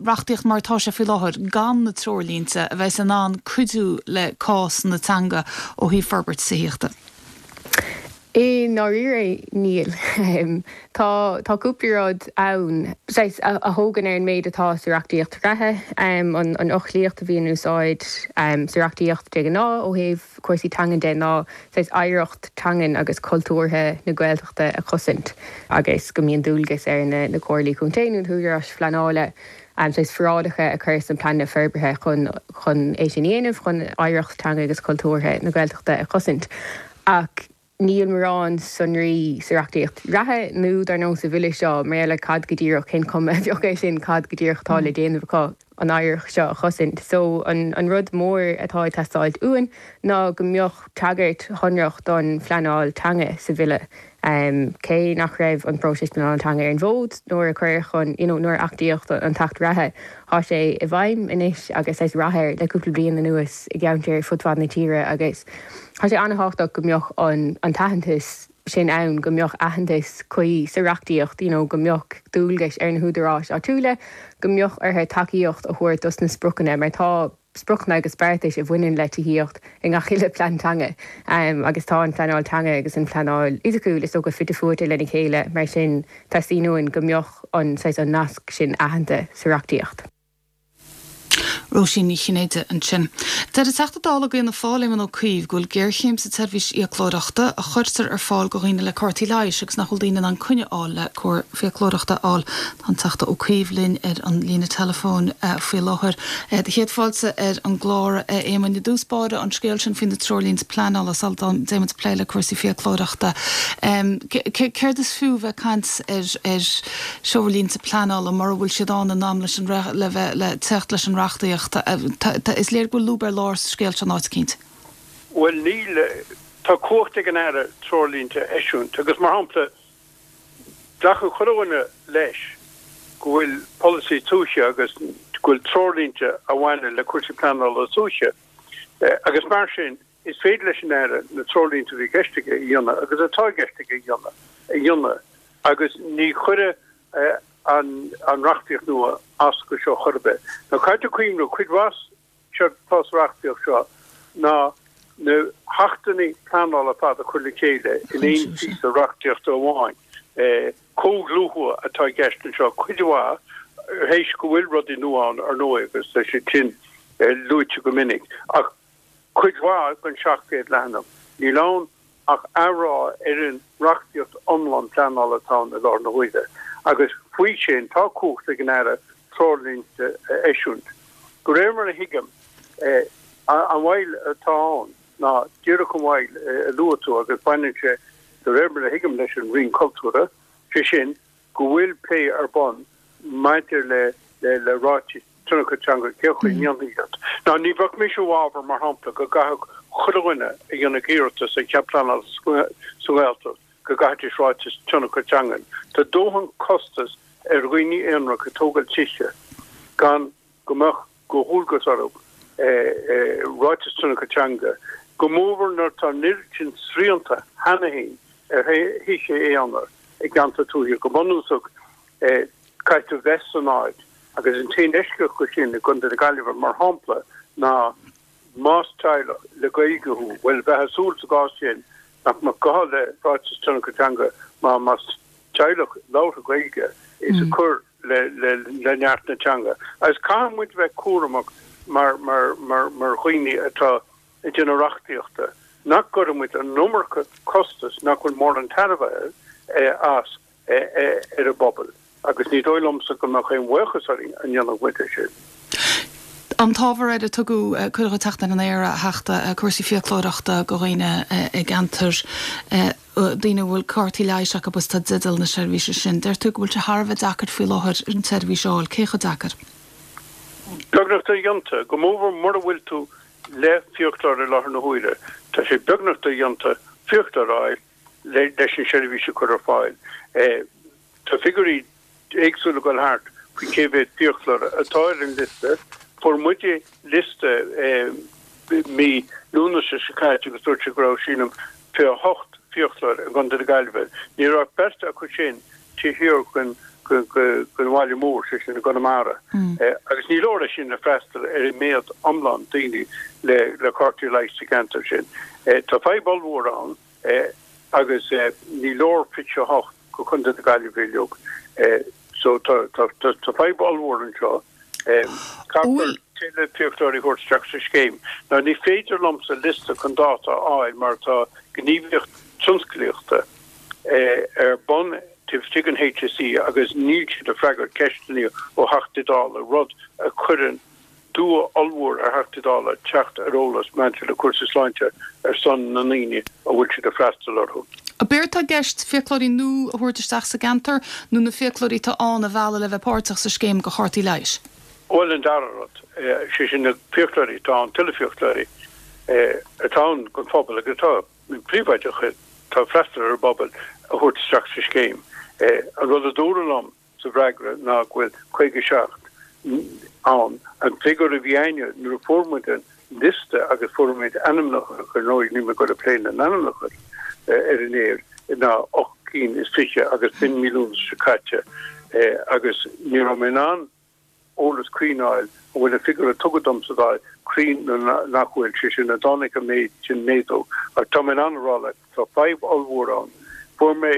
reachtaíocht mar atá sé faoi láthair, gan na treoirlínte, a bheas in ann cuidiú le cás na teanga ó thaobh forbairt tithíochta? I ndáiríre, níl. Tá tá cúpla rud ann saghas a thógann ar an méid atá sa reachtaíocht reatha, an an fhoclaíocht a bhí in úsáid sa reachtaíocht de ghnáth ó thaobh cúrsaí teangan de ná saghas oidhreacht teangan agus cultúrtha na Gaeltachta a chosaint agus go mbíonn dualgas ar na na comhairlí contae nó na húdaráis phleanála saghas forálacha a chur sna pleananna forbartha chun chun é sin a dhéanamh, chun oidhreacht teanga agus cultúrtha na Gaeltachta a chosaint. Ach níl mórán sonraí sa reachtaíocht reatha nó dar ndóigh sa Bhille seo mar gheall ar cad go díreach, cén cuma a bheadh air sin, cad go díreach atá le déanamh acu an oidhreacht seo a chosaint. So an an rud mór atá ag teastáilt uainn ná go mbeadh tagairt shonrach don phleanáil teanga sa Bhille. Cé nach raibh an próiseas pleanála teanga ar an bhfód nuair a cuireadh chun, you know, nuair a achtaíodh an tAcht reatha, tá sé i bhfeidhm anois agus saghas rath air le cúpla bliain anuas i gceantair fud fad na tíre agus tá sé an-thábhachtach go mbeadh an an t-aitheantas sin ann, go mbeadh aitheantas cuí sa reachtaíocht, you know, go mbeadh dualgais ar na húdaráis áitiúla, go mbeadh orthu tacaíocht a thabhairt dos na spriocanna mar tá spriocanna agus beartais a bhaineann le tithíocht i ngach uile plean teanga agus tá an phleanáil teanga agus an phleanáil fhisiciúil is dócha fite fuaite lena chéile mar sin teastaíonn uainn go mbeadh an saghas an nasc sin aitheanta sa reachtaíocht. Róisín Ní Chinnéide ansin. Deir an Teachta Dála d'Fhianna Fáil, Éamon Ó Cuív, go bhfuil géarchéim sa tseirbhís fhiaclóireachta a chuirtear ar fáil do dhaoine le cártaí leighis agus nach bhfuil daoine in ann coinne a fháil le cóir fiaclóireachta a fháil. Tá an Teachta Ó Cuív linn ar an líne teileafóin faoi láthair. Do chéad fáilte ar an gclár, a Éamoin. I dtús báire, an scéal sin faoi na treoirlínte pleanála sula dtéimid ag plé le cúrsaí fiaclóireachta. Céard is fiú bheith ag caint ar ar threoirlínte pleanála mura bhfuil siad ann in am leis an le bheith le teacht leis an reachtaíocht? Is léir go bhfuil lúb ar lár sa scéal seo in áit eicínt. Bhuel, níl. Tá cumhacht ag an Aire treoirlínte a eisiúint agus, mar shampla, glacann chuile dhuine leis go bhfuil polasaí tuaithe agus go bhfuil treoirlínte a bhaineann le cúrsaí pleanála tuaithe agus mar sin is féidir leis an Aire na treoirlínte a bhí i gceist aige a dhéanamh agus atá i gceist aige a dhéanamh a dhéanamh agus ní chuirfidh an an reachtaíocht nua as go seo chor ar bith. Now caithfidh tú cuimhniú, cuid mhaith séard atá sa reachtaíocht seo ná na hachtanna pleanála ar fad a chur le chéile in aon phíosa reachtaíochta amháin. Comhdhlúthú atá i gceist anseo cuid mhaith, théis go bhfuil rudaí nua ann ar ndóigh agus tá siad sin luaite go minic, ach cuid mhaith den seacht gcéad leathanach, níl ann ach athrá ar an reachtaíocht iomlán pleanála atá ann i láthair na huaire. Agus faoi sin tá cumhacht ag an Aire treoirlínte a eisiúint. De réir mar a thuigim, an mhoill atá ann ná díreach an mhoill a luaigh tú agus baineann sé, de réir mar a thuigim, leis an Roinn Cultúrtha, sé sin go bhfuil plé ar bun maidir le le ráitis tionchair teanga, cén chaoi a ndéanfaí iad. Now ní bheadh mise i bhfabhar, mar shampla, go gcaithfeadh chuile dhuine a dhéanfadh iarratas ar chead pleanála sa Ghaeltacht go gcaithfidís ráiteas tionchair teangan. Tá dóthain costas ar dhaoine aonaracha ag tógáil tithe gan go mbeadh de dhualgas orthu ráiteas tionchair teanga, go mórmhór nuair atá an oiread sin srianta cheana féin ar thithe aonair i gceantar tuaithe. Go bunúsach, caithfidh tú bheith san áit agus an t-aon eisceacht dho sin i gContae na Gaillimhe, mar shampla, ná más teaghlach le Gaeilge thú, bhuel, bheifeá ag súil sa gcás sin nach mbeadh gá le ráiteas tionchair teanga mar más teaghlach labhartha Gaeilge is ag cur le neart na teanga. Agus caithfidh muid bheith cúramach mar mar mar mar dhaoine atá ag déanamh reachtaíochta nach gcuireann muid an iomarca costas nach bhfuil mórán tairbhe as ar an bpobal. Agus ní dóigh liomsa go mbeadh aon bhuíochas orainn dá ndéanfadh muid é sin. An t-ábhar ar a tugadh cuireadh teacht ar an aer, a Theachta, cúrsaí fiaclóireachta do dhaoine i gceantar, daoine a bhfuil cártaí leighis acu agus atá i dteideal na seirbhíse sin. Deir tú go bhfuil sé thar a bheith deacair faoi láthair an tseirbhís a fháil. Cé chomh deacair? Beagnach dodhéanta, go mórmhór mura bhfuil tú le fiaclóir i láthair na huaire. Tá sé beagnach dodhéanta fiaclóir a fháil leis an seirbhís a chur ar fáil. Tá figiúirí éagsúla ag dul thart faoi cé mhéad fiaclóir atá ar an liosta. Fuair muide liosta mí Lúnasa seo caite agus dúirt sé go raibh, sílim, fiche a hocht fiaclóir i gContae na Gaillimhe. Ní raibh ach beirt acu sin taobh thiar den bhaile mór, sé sin i gConamara. Agus ní leor é sin le freastal ar an méad iomlán daoine le cártaí leighis sa gceantar sin. Tá fadhb ollmhór ann. Agus ní leor fiche a hocht go Contae na Gaillimhe uilig. So tá tá fadhb ollmhór anseo. Caithfear tuilleadh fiaclóirí a thabhairt isteach sa scéim. Now ní féidir liomsa liosta chun dáta a fháil mar tá gníomhaíocht tionsclaíochta ar bun taobh istigh den HSE agus níl siad ag freagairt ceisteanna ó Theachtaí Dála, rud a chuireann dua ollmhór ar Theachtaí Dála teacht ar eolas maidir le cúrsaí sláinte ar son na ndaoine a bhfuil siad ag freastal orthu. Ab éard atá i gceist fiaclóirí nua a thabhairt isteach sa gceantar nó na fiaclóirí atá ann a mhealladh le bheith páirteach sa scéim do chártaí leighis? Bhuel, an dara rud, sé sin na fiaclóirí atá ann, tuilleadh fiaclóirí atá ann don phobal agus atá príobháideach atá ag freastal ar an bpobal a thabhairt isteach sa scéim. An rud a dúradh liom sa bhfreagra ná go bhfuil caoga a seacht ann. An figiúr a bhí againne nuair a fuair muid an liosta agus fuair muid ainmneacha, ar ndóigh níl mé ag dul ag plé na n-ainmneacha ar an aer, ná ocht gcinn is fiche agus b'in mí Lúnasa seo caite agus ní raibh mé in ann eolas cruinn a fháil an bhfuil an figiúr a tugadh dom sa Dáil cruinn nó nach bhfuil, sé sin an dtáinig an méid sin méadú. Ach tá mé in ann a rá leat, tá fadhb ollmhór ann. Fuair mé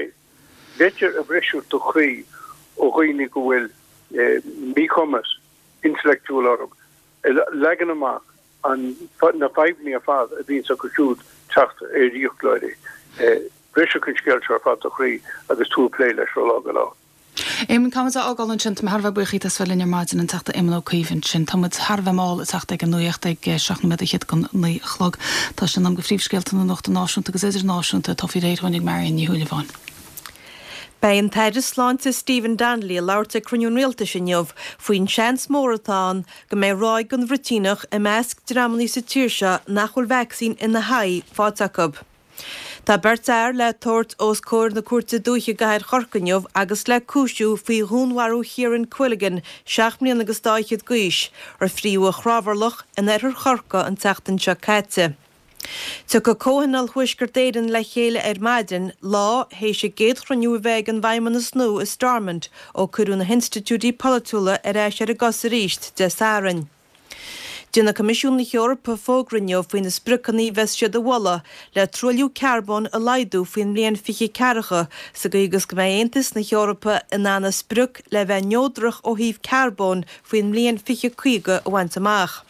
litir a bhrisfeadh do chroí ó dhaoine go bhfuil míchumas intleachtúil orthu, ag leagan amach an na fadhbanna ar fad a bhíonns acu siúd teacht ar fhiaclóirí. Bhrisfeadh an scéal seo ar fad do chroí agus tú ag plé leis ó lá go lá. Éamon, caithfidh muid a fhágáil ansin. Tá mé thar a bheith buíoch díot as bheith linn ar maidin, an Teachta Éamon Ó Cuív ansin. Tá muid thar a bheith mall ag teacht ag an nuacht ag seacht nóiméad fhichead don naoi a chlog. Tá sé in am do phríomhscéalta na nuachta náisiúnta agus idirnáisiúnta atá faoi réir dhúinn ag Marion Ní Shúilleabháin. Beidh an tAire Sláinte Stephen Donnelly ag labhairt ag cruinniú an Rialtais inniu faoin seans mór atá ann go mbeidh ráig den bhruitíneach i measc dreamanna sa tír seo nach bhfuil vacsaín ina haghaidh faighte acu. Tá beirt fhear le tabhairt os comhair na Cúirte Dúiche i gcathair Chorcaí inniu agus le cúisiú faoi dhúnmharú Chiaran Quilligan, seacht mbliana agus dá fhichead d'aois, ar fríodh a chrábhairleach in oirthear Chorcaí an tseachtain seo caite. Tiocfaidh Comhthionól Thuaisceart Éireann le chéile ar maidin, lá théis a gcéad chruinniú a bheith ag an bhFeidhmeannas nua i Stormont ó cuireadh na hinstitiúidí polaitiúla ar ais ar a gcosa arís Dé Sathairn. Déanfaidh Coimisiún na hEorpa fógra inniu faoi na spriocanna a bheas siad a mholadh le truailliú carbóin a laghdú faoin mbliain fiche ceathracha sa gcaoi agus go mbeidh Aontas na hEorpa in ann a sprioc le bheith neodrach ó thaobh carbóin faoin mbliain fiche caoga a bhaint amach.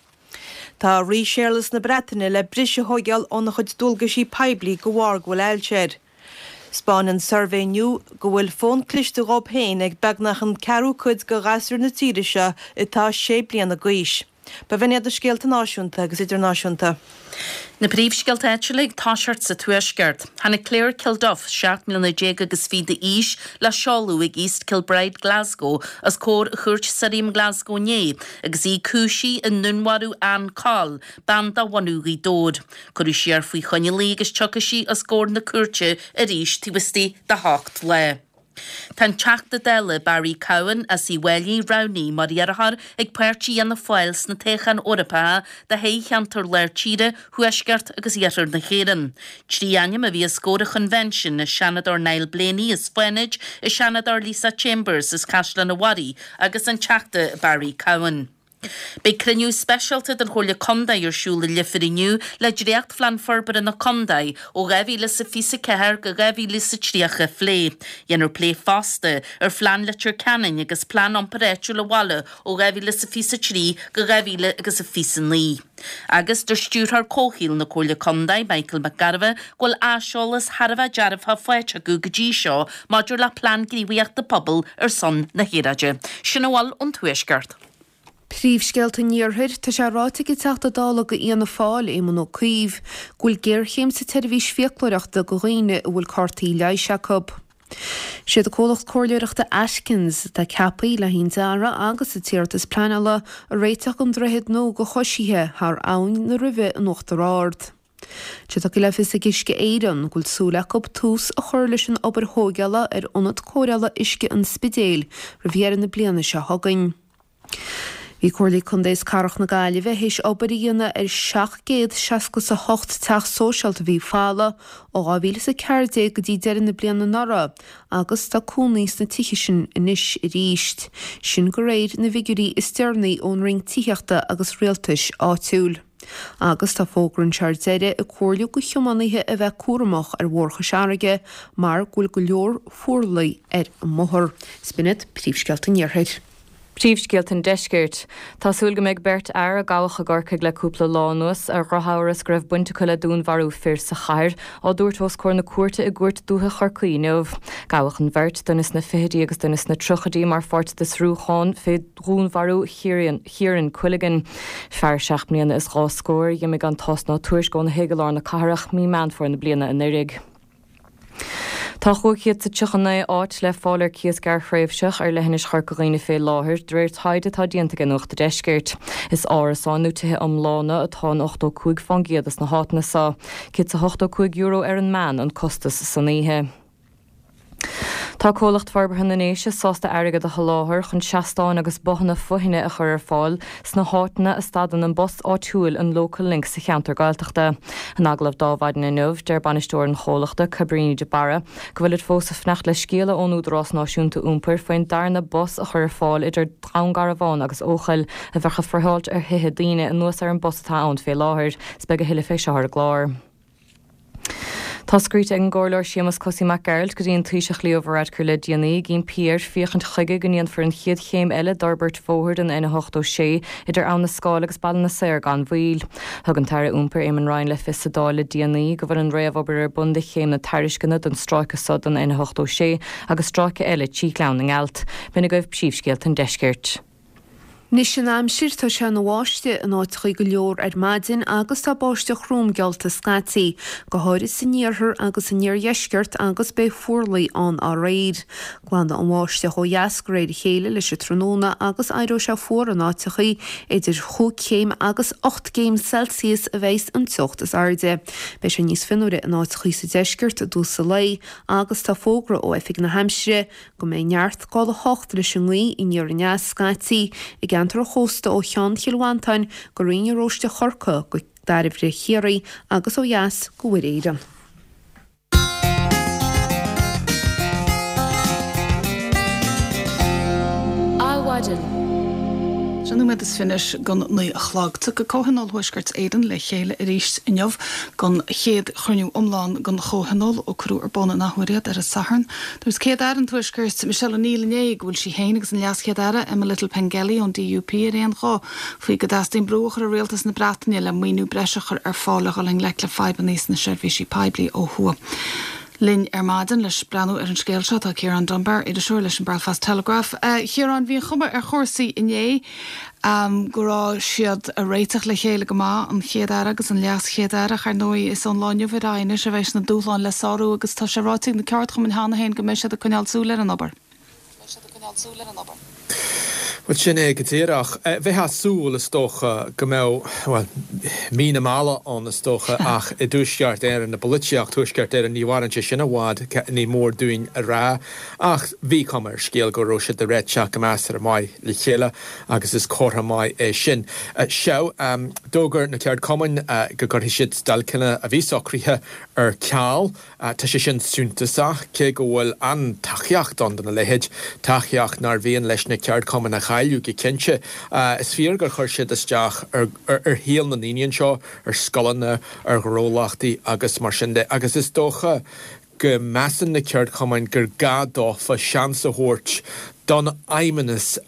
Tá Rí Séarlas na Breataine le briseadh a thóigeáil óna chuid dualgaisí poiblí de bharr go bhfuil ailse air. 'Spáineann suirbhé nua go bhfuil fón cliste dhób féin ag beagnach an ceathrú cuid de ghasúir na tíre seo atá sé bliana d'aois. B'in iad na scéalta náisiúnta agus idirnáisiúnta. Na príomhscéalta áitiúla ag toiseacht sa Tuaisceart. Tháinig Claire Kilduff, seacht mbliana déag agus fiche d'aois, le seoladh ag East Kilbride, Glasgow, os comhair Chúirt Sirriam Glasgow inné agus í cúisithe i ndúnmharú Ann Coll, bean de bhunadh Ghaoth Dobhair. Cuireadh siar faoi choinneáil í agus tiocfaidh sí os comhair na cúirte arís taobh istigh de hocht lá. Tá an Teachta Dála Barry Cowen as Uíbh Fhailí roghnaithe mar iarrthóir ag páirtí Fhianna Fáil sna toghcháin Eorpacha do thoghcheantar Lár Tíre, Thuaisceart agus Iarthar na hÉireann. Trí ainm a bhí os comhair an choinbhinsin, an Seanadóir Niall Blaney as Fánaid, an Seanadóir Lisa Chambers as Caisleán an Bharraigh agus an Teachta Barry Cowen. Beidh cruinniú speisialta den Chomhairle Contae ar siúl i Leifear inniu le dréachtphlean forbartha na contae ó dhá mhíle is a fiche a ceathair go dhá mhíle is a tríocha a phlé. Dhéanfar plé fosta ar phlean Leitir Ceanainn agus plean iompair áitiúil an bhaile ó dhá mhíle is a fiche a trí go dhá mhíle agus a fiche a naoi. Agus deir Stiúrthóir Comhshaoil na Comhairle Contae, Michael McGarvey, go bhfuil aiseolas thar a bheith dearfach faighte acu go dtí seo maidir le Plean Gníomhaíochta Pobail ar son na hAeráide. Sin a bhfuil ón Tuaisceart. Príomhscéalta an Iarthair, Tá sé ráite ag an Teachta Dála do Fhianna Fáil, Éamon Ó Cuív, go bhfuil géarchéim sa tseirbhís fiaclóireachta do dhaoine a bhfuil cártaí leighis acu. Siad an comhlacht comhairleoireachta Atkins atá ceaptha le haghaidh an dearadh agus an t-iarratas pleanála a réiteach don droichead nua do choisithe thar Abhainn na Ruibhe in Uachtar Ard. Tá sé tugtha le fios ag Uisce Éireann go bhfuil súil acu tús a chur leis an obair thóigeála ar ionad cóireála uisce an Spidéil roimh dheireadh na bliana seo chugainn. Bhí Comhairle Contae is Cathrach na Gaillimhe théis obair a dhéanamh ar seacht gcéad seasca is a hocht teach sóisialta a bhí folamh ó dhá mhíle is a ceathair déag go dtí deireadh na bliana anuraidh agus tá cónaí sna tithe sin anois arís. Sin de réir na bhfigiúirí is deireanaí ón Roinn Tithíochta agus Rialtais Áitiúil. Agus tá fógra anseo ar deireadh ag comhairliú do thiománaithe a bheith cúramach ar Bhóthar Chois Fharraige mar go bhfuil go leor fuarlaigh ar an mbóthar. 'S b'in iad príomhscéalta an Iarthair. Príomhscéalta an Deiscirt. Tá súil go mbeidh beirt fhear a gabhadh i gCorcaigh le cúpla lá anuas, ar dhrochamhras go raibh baint acu le dúnmharú fir sa chathair, á dtabhairt os comhair na cúirte i gCúirt Dúiche Chorcaí inniu. Gabhadh an bheirt, duine sna fichidí agus duine sna tríochaidí, mar pháirt d'fhiosrúchán fé dhúnmharú Chiaran Quilligan, fear seacht mbliana is dhá scór, a dh'imigh gan tásc ná tuairisc óna thigh i lár na cathrach mí Meán Fómhair na bliana anuraidh. Tá chúig chéad 's a tríocha naoi áit le fáil ar cíos gearrthréimhseach ar leithinis Chorca Dhuibhne fé láthair, de réir taighde atá déanta ag Nuacht a' Deiscirt. Is árasáin nó tithe iomlána atá in ochtó cúig fán gcéad dos na háiteanna so. Céad 's a hochtó cúig euro ar an meán an costas san oíche. Tá Comhlacht Forbartha na nDéise sásta airgead a sholáthar chun seastáin agus bothanna foithne a chur ar fáil sna háiteanna a stadann an bus áitiúil an Local Link sa cheantar Gaeltachta. In agallamh d'Adhmhaidin inniu, deir bainisteoir an chomhlachta, Cabríní de Barra, go bhfuilid fós ag fanacht le scéala ón Údarás Náisiúnta Iompair faoin darna bus a chur ar fáil idir Dún Garbhán agus Eochaill a bheadh ag friotháilt ar thithe daoine anuas ar an bus atá ann fé láthair. 'S beidh a thuilleadh fé seo ar an gclár. Tá scríte ag an gComhairleoir Séamus Cosaí Mac Gearailt go dtí an Taoiseach Leo Varadkar le déanaí ag impí air féachaint chuige go ndéanfar an chéad chéim eile d'fhorbairt bhóthair an N a hochtó sé idir Abha na Scáil agus Baile na Saor gan mhoill. Thug an tAire Iompair Eamon Ryan le fios sa Dáil le déanaí go bhfuil an réamhobair ar bun do chéim na tairisceana don stráice so don N a hochtó sé agus stráice eile trí Ghleann na nGealt. B'in agaibh príomhscéalta an deiscirt. Anois an aimsir, tá sé ina bháisteach in áiteachaí go leor ar maidin agus tá báisteach throm geallta scaití, go háirid san iarthar agus san iardheisceart agus beidh fuarlaigh ann aréir. Glanfaidh an bháisteach ó dheas de réir a chéile leis an tráthnóna agus éireoidh sé fuar in áiteachaí, idir chúig chéim agus ocht gcéim Celsius a bheidhs an teocht is airde. Beidh sé níos fionnuaire in áiteachaí sa deisceart i dtús an lae agus tá fógra ó Oifig na hAimsire go mbeidh neart gála hocht leis an ngaoth aniar aneas scaití i gceantar an chósta ó Cheann Chill Mhantáin go Rinn Oróiste Chorcaí go Dairbhre Chiarraí agus ó dheas go Mhuir Éireann. Adhmhaidin. Sé nóiméad is fiche don naoi a chlog. Tiocfaidh Comhthionól Thuaisceart Éireann le chéile arís inniu don chéad chruinniú iomlán den Chomhthionól ó cuireadh ar bun an athuair iad ar an Satharn. Dúirt Céad-Aire an Tuaiscirt, Michelle O'Neill inné go bhfuil sí féin agus an LeasChéad-Aire, Emma Little-Pengelly ón DUP ar aon ghuth faoi go dteastaíonn brú a chur ar Rialtas na Breataine le maoiniú breise a chur ar fáil le dhul i ngleic le fadhbanna sna seirbhísí poiblí ó thuaidh. Linn ar maidin leis breathnú ar an scéal seo tá Ciarán Dunbar, iriseoir leis an Belfast Telegraph. A Chiaráin, bhí an chuma ar chúrsaí inné go raibh siad ag réiteach le chéile go maith, an Chéad-Aire agus an LeasChéad-Aire. Ach ar ndóigh is ón lá inniu ar aghaidh anois a bheidh na dúshláin le sárú agus tá sé ráite ag na ceardchumainn cheana féin go mbeidh siad ag coinneáil súil ar an obair. Bhuel, sin é go díreach. Bheifeá ag súil, is dócha, go mbeadh, bhuel, mí na meala ann, is dócha, ach i dTuaisceart Éireann, i bpolaitíocht Thuaisceart Éireann, ní mhaireann sé sin i bhfad, ní mór dúinn a rá. Ach bhí cuma ar an scéal go raibh siad ag réiteach go measartha maith le chéile agus is comhartha maith é sin. Sea, d'fhógair na ceardchumainn go gcuirfidh siad stailceanna a bhí socraithe ar ceal. Tá sé sin suntasach, cé go bhfuil an-tacaíocht ann dona leithéid, tacaíocht nár mhian leis na ceardchumainn a chailleadh go cinnte. Is fíor gur chuir siad isteach ar shaol na ndaoine anseo, ar scoileanna, ar ghnólachtaí agus mar sin de, agus is dócha go measann na ceardchumainn gur gá dófa seans a thabhairt don Fheidhmeannas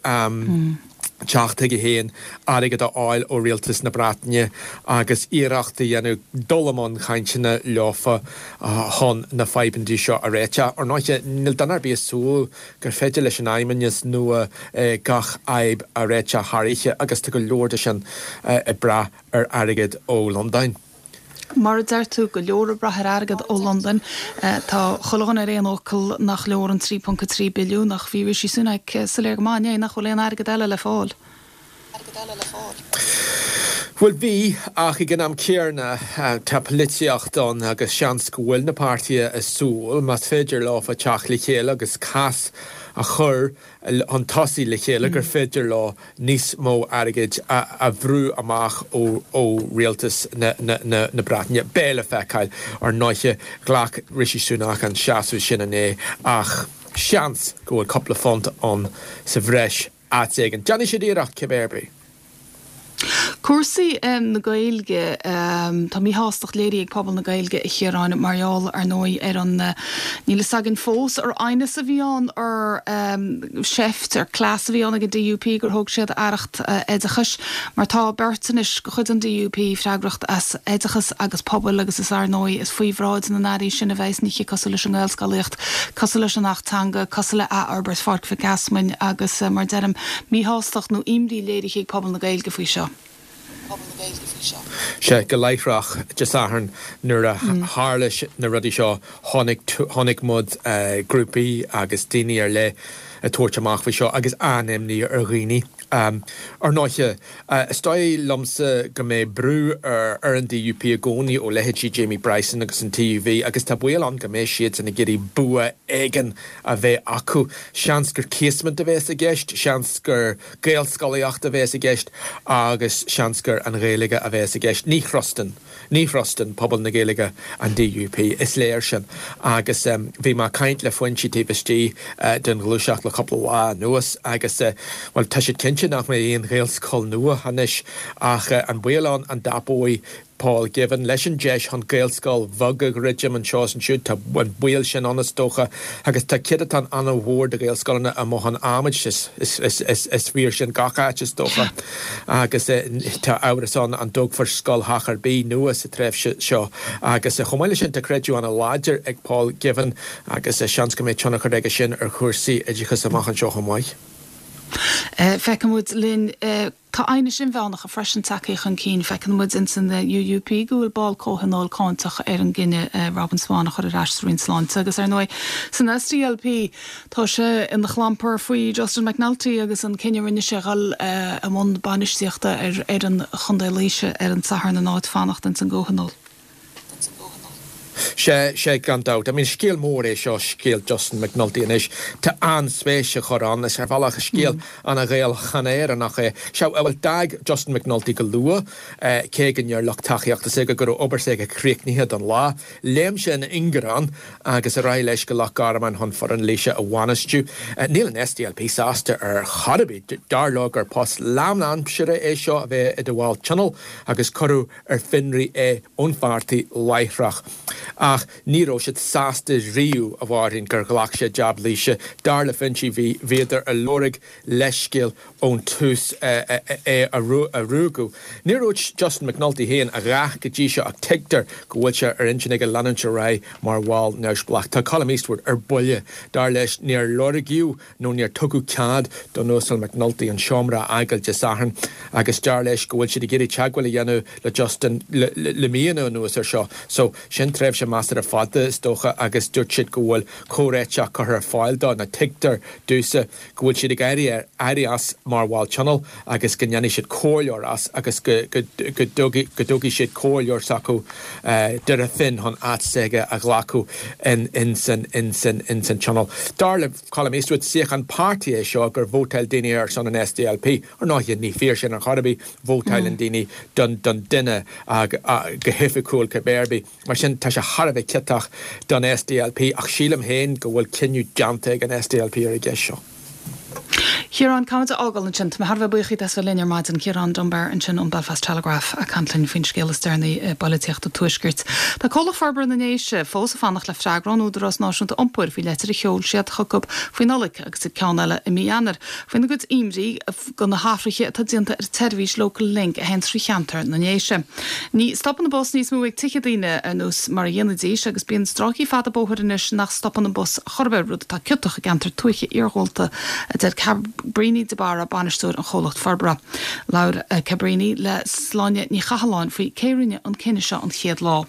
teacht chuige féin, airgead a fháil ó rialtas na Breataine agus iarracht a dhéanamh dul i mbun cainteanna leofa chun na fadhbanna seo a réiteach. Ar ndóighe, níl duine ar bith ag súil gur féidir leis an Fheidhmeannas nua gach fhadhb a réiteach thar oíche agus tá go leor de sin ag brath ar airgead ó Londain. Mar a deir tú, go leor ag brath ar airgead ó Londain. Tá chuile dhuine ar aon fhocal nach leor an trí ponc a trí billiún ach bhí Rishi Sunak soiléir go maith inné nach bhfuil aon airgead eile le fáil. Bhuel bhí, ach ag an am céanna tá polaitíocht ann agus seans go bhfuil na páirtithe ag súil, más féidir leofa teacht le chéile agus cás a chur chun tosaigh le chéile gur féidir leo níos mó airgid a bhrú amach ó rialtas na Breataine. Beidh le feiceáil. Ar ndóighe, ghlac Rishi Sunak an seasamh sin inné ach seans go bhfuil cúpla punt ann sa bhreis áit éigin. Déanfaidh siad iarracht cibé ar bith. Cúrsaí na Gaeilge, Tá míshástacht léirithe ag pobal na Gaeilge, a Chiaráin, mar gheall, ar ndóigh, ar an, níl fhios againn fós, ar aighneas a bhí ann, ar seift, ar cleas a bhí ann ag an DUP gur thóg siad aireacht oideachais, mar tá beirt anois de chuid an DUP freagracht as oideachas agus pobail agus is, ar ndóigh, is faoi bhráid na n-airí sin a bheas nithe cosúil leis an nGaelscolaíocht, cosúil leis an Acht Teanga, cosúil le athfhorbairt Pháirc Mhic Easmainn agus, mar deirim, míshástacht nó imní léirithe ag pobal na Gaeilge faoi seo. Sea, go láithreach Dé Sathairn nuair a tharla na rudaí seo, chonaic muid grúpaí agus daoine ar leith ag tabhairt amach faoi seo agus an-imní ar dhaoine. Ar ndóighe, is dóigh liomsa go mbeidh brú ar an DUP i gcónaí ó leithéidí Jamie Bryson agus an TUV agus tá baol ann go mbeidh siadsan ag iarraidh bua éigin a bheith acu. Seans gur Casement a bheas i gceist, seans gur Gaelscolaíocht a bheas i gceist agus seans gur an Ghaeilge a bheas i gceist. Ní thrustann, ní thrustann pobal na Gaeilge an DUP, is léir sin. Agus bhí mé ag caint le foinsí taobh istigh den ghluaiseacht le cúpla lá anuas agus, bhuel, tá siad cinnte nach mbeidh aon Ghaelscoil nua anois ach an baol ann an dtapóidh Paul Givan leis an deis chun Gaelscoil bheag a dhruidim anseo is ansiúd. Tá an baol sin ann is dócha agus tá céatadán an-mhór de Ghaelscoileanna amuigh chun adhmaid, is fíor sin gach áit is dócha agus tá amhras ann an dtógfar scoil theach ar bith nua sa tréimhse seo agus chomh maith leis sin tá creideamh an-láidir ag Paul Givan agus seans go mbeidh tionchar aige sin ar chúrsaí oideachais amach anseo chomh maith. Feiceann muid linn, tá aighnis inmheánacha freisin tagtha chun cinn. Feiceann muid ins an UUP go bhfuil ball comhthionóil cáinteach ar an gcinneadh Robin Swann a chur ar ais sa Roinn Sláinte agus ar ndóigh san SDLP tá sé ina chlampar faoi Justin McNulty agus an cinneadh a rinne sé dhul i mbun bainistíochta ar fhoireann Chontae Laoise ar an Satharn in áit fanacht ins an gcomhthionól. Sea, sea, gan dabht. I mean, scéal mór é seo, scéal Justin McNulty anois. Tá an-spéis á chur ann, is ar bhealach scéal an-Ghaelach, an-Éireannach é. Sea, bhuel, d'fhág Justin McNulty go luath, cé go ndeir lucht tacaíochta s'aige go raibh obair s'aige críochnaithe don lá. Léim sé ina ingearán agus ar aghaidh leis go Loch Garman chun foireann Laoise a bhainistiú. Níl an SDLP sásta ar chor ar bith. Dar leo gur post lánaimseartha é seo a bheith i do bhall tionóil agus cuireadh ar fionraí é ón pháirtí láithreach. Ach ní raibh siad sásta riamh, a Mháirín, gur ghlac sé jab Laoise. Dar le foinsí bhí bhíodar ag lorg leithscéal ón tús é a ruaigeadh. Níor dhúirt Justin McNulty féin a dhath go dtí seo ach tuigtear go bhfuil sé ar intinn aige leanúint ar aghaidh mar bhall neamhspleách. Tá Colum Eastwood ar buile. Dar leis níor lorgaíodh nó níor tugadh cead don Uasal McNulty an seomra a fhágáil Dé Sathairn agus dar leis go bhfuil siad ag iarraidh teagmháil a dhéanamh le Justin le míonna anuas air seo. So sin tréimhse measartha fada is dócha agus dúirt siad go bhfuil comhréiteach curtha ar fáil dó nó tuigtear domhsa go bhfuil siad ag éirí éirí as mar bhall tionóil agus go ndéanfaidh siad comhairleoir as agus go go dtoghfaidh siad comhairleoir s'acu Doire Finn chun áit s'aige a ghlacadh in in san in san in san tionól. Dar le Colum Eastwood suíochán páirtí é seo gur vótáil daoine ar son an SDLP. Ar ndóigh ní fíor sin ar chor ar bith, vótáileann daoine don don duine go hoifigiúil cibé ar bith. Mar sin tá sé thar a bheith ciotach don SDLP ach sílim féin go bhfuil cinneadh déanta ag an SDLP ar an gceist seo. Ciarán, caithfimid a fhágáil ansin. Tá mé thar a bheith buíoch díot as bheith linn ar maidin. Ciarán Dunbar ansin ón Belfast Telegraph ag caint linn faoin scéal is deireanaí i bpolaitíocht an Tuaiscirt. Tá Comhlacht Forbartha na nDéise fós ag fanacht le freagra ón Údarás Náisiúnta Iompair faoi leitir a sheol siad chucu faoi Nollaig agus ceann eile i mí Eanáir faoina gcuid imní go na hathruithe atá déanta ar an tseirbhís Local Link a théann trí cheantar na nDéise. Ní stopann an bus níos mó ag tithe daoine ar nós mar a dhéanaidís agus bíonn stráicí fada bóthair anois nach stopann an bus chor ar bith, rud atá ciotach i gceantar tuaithe iargúlta a deir Cabríní de Barra bainisteoir an chomhlacht forbartha. Labhair Cabríní le Sláine Ní Chathalláin faoi cé rinne an cinneadh seo an chéad lá.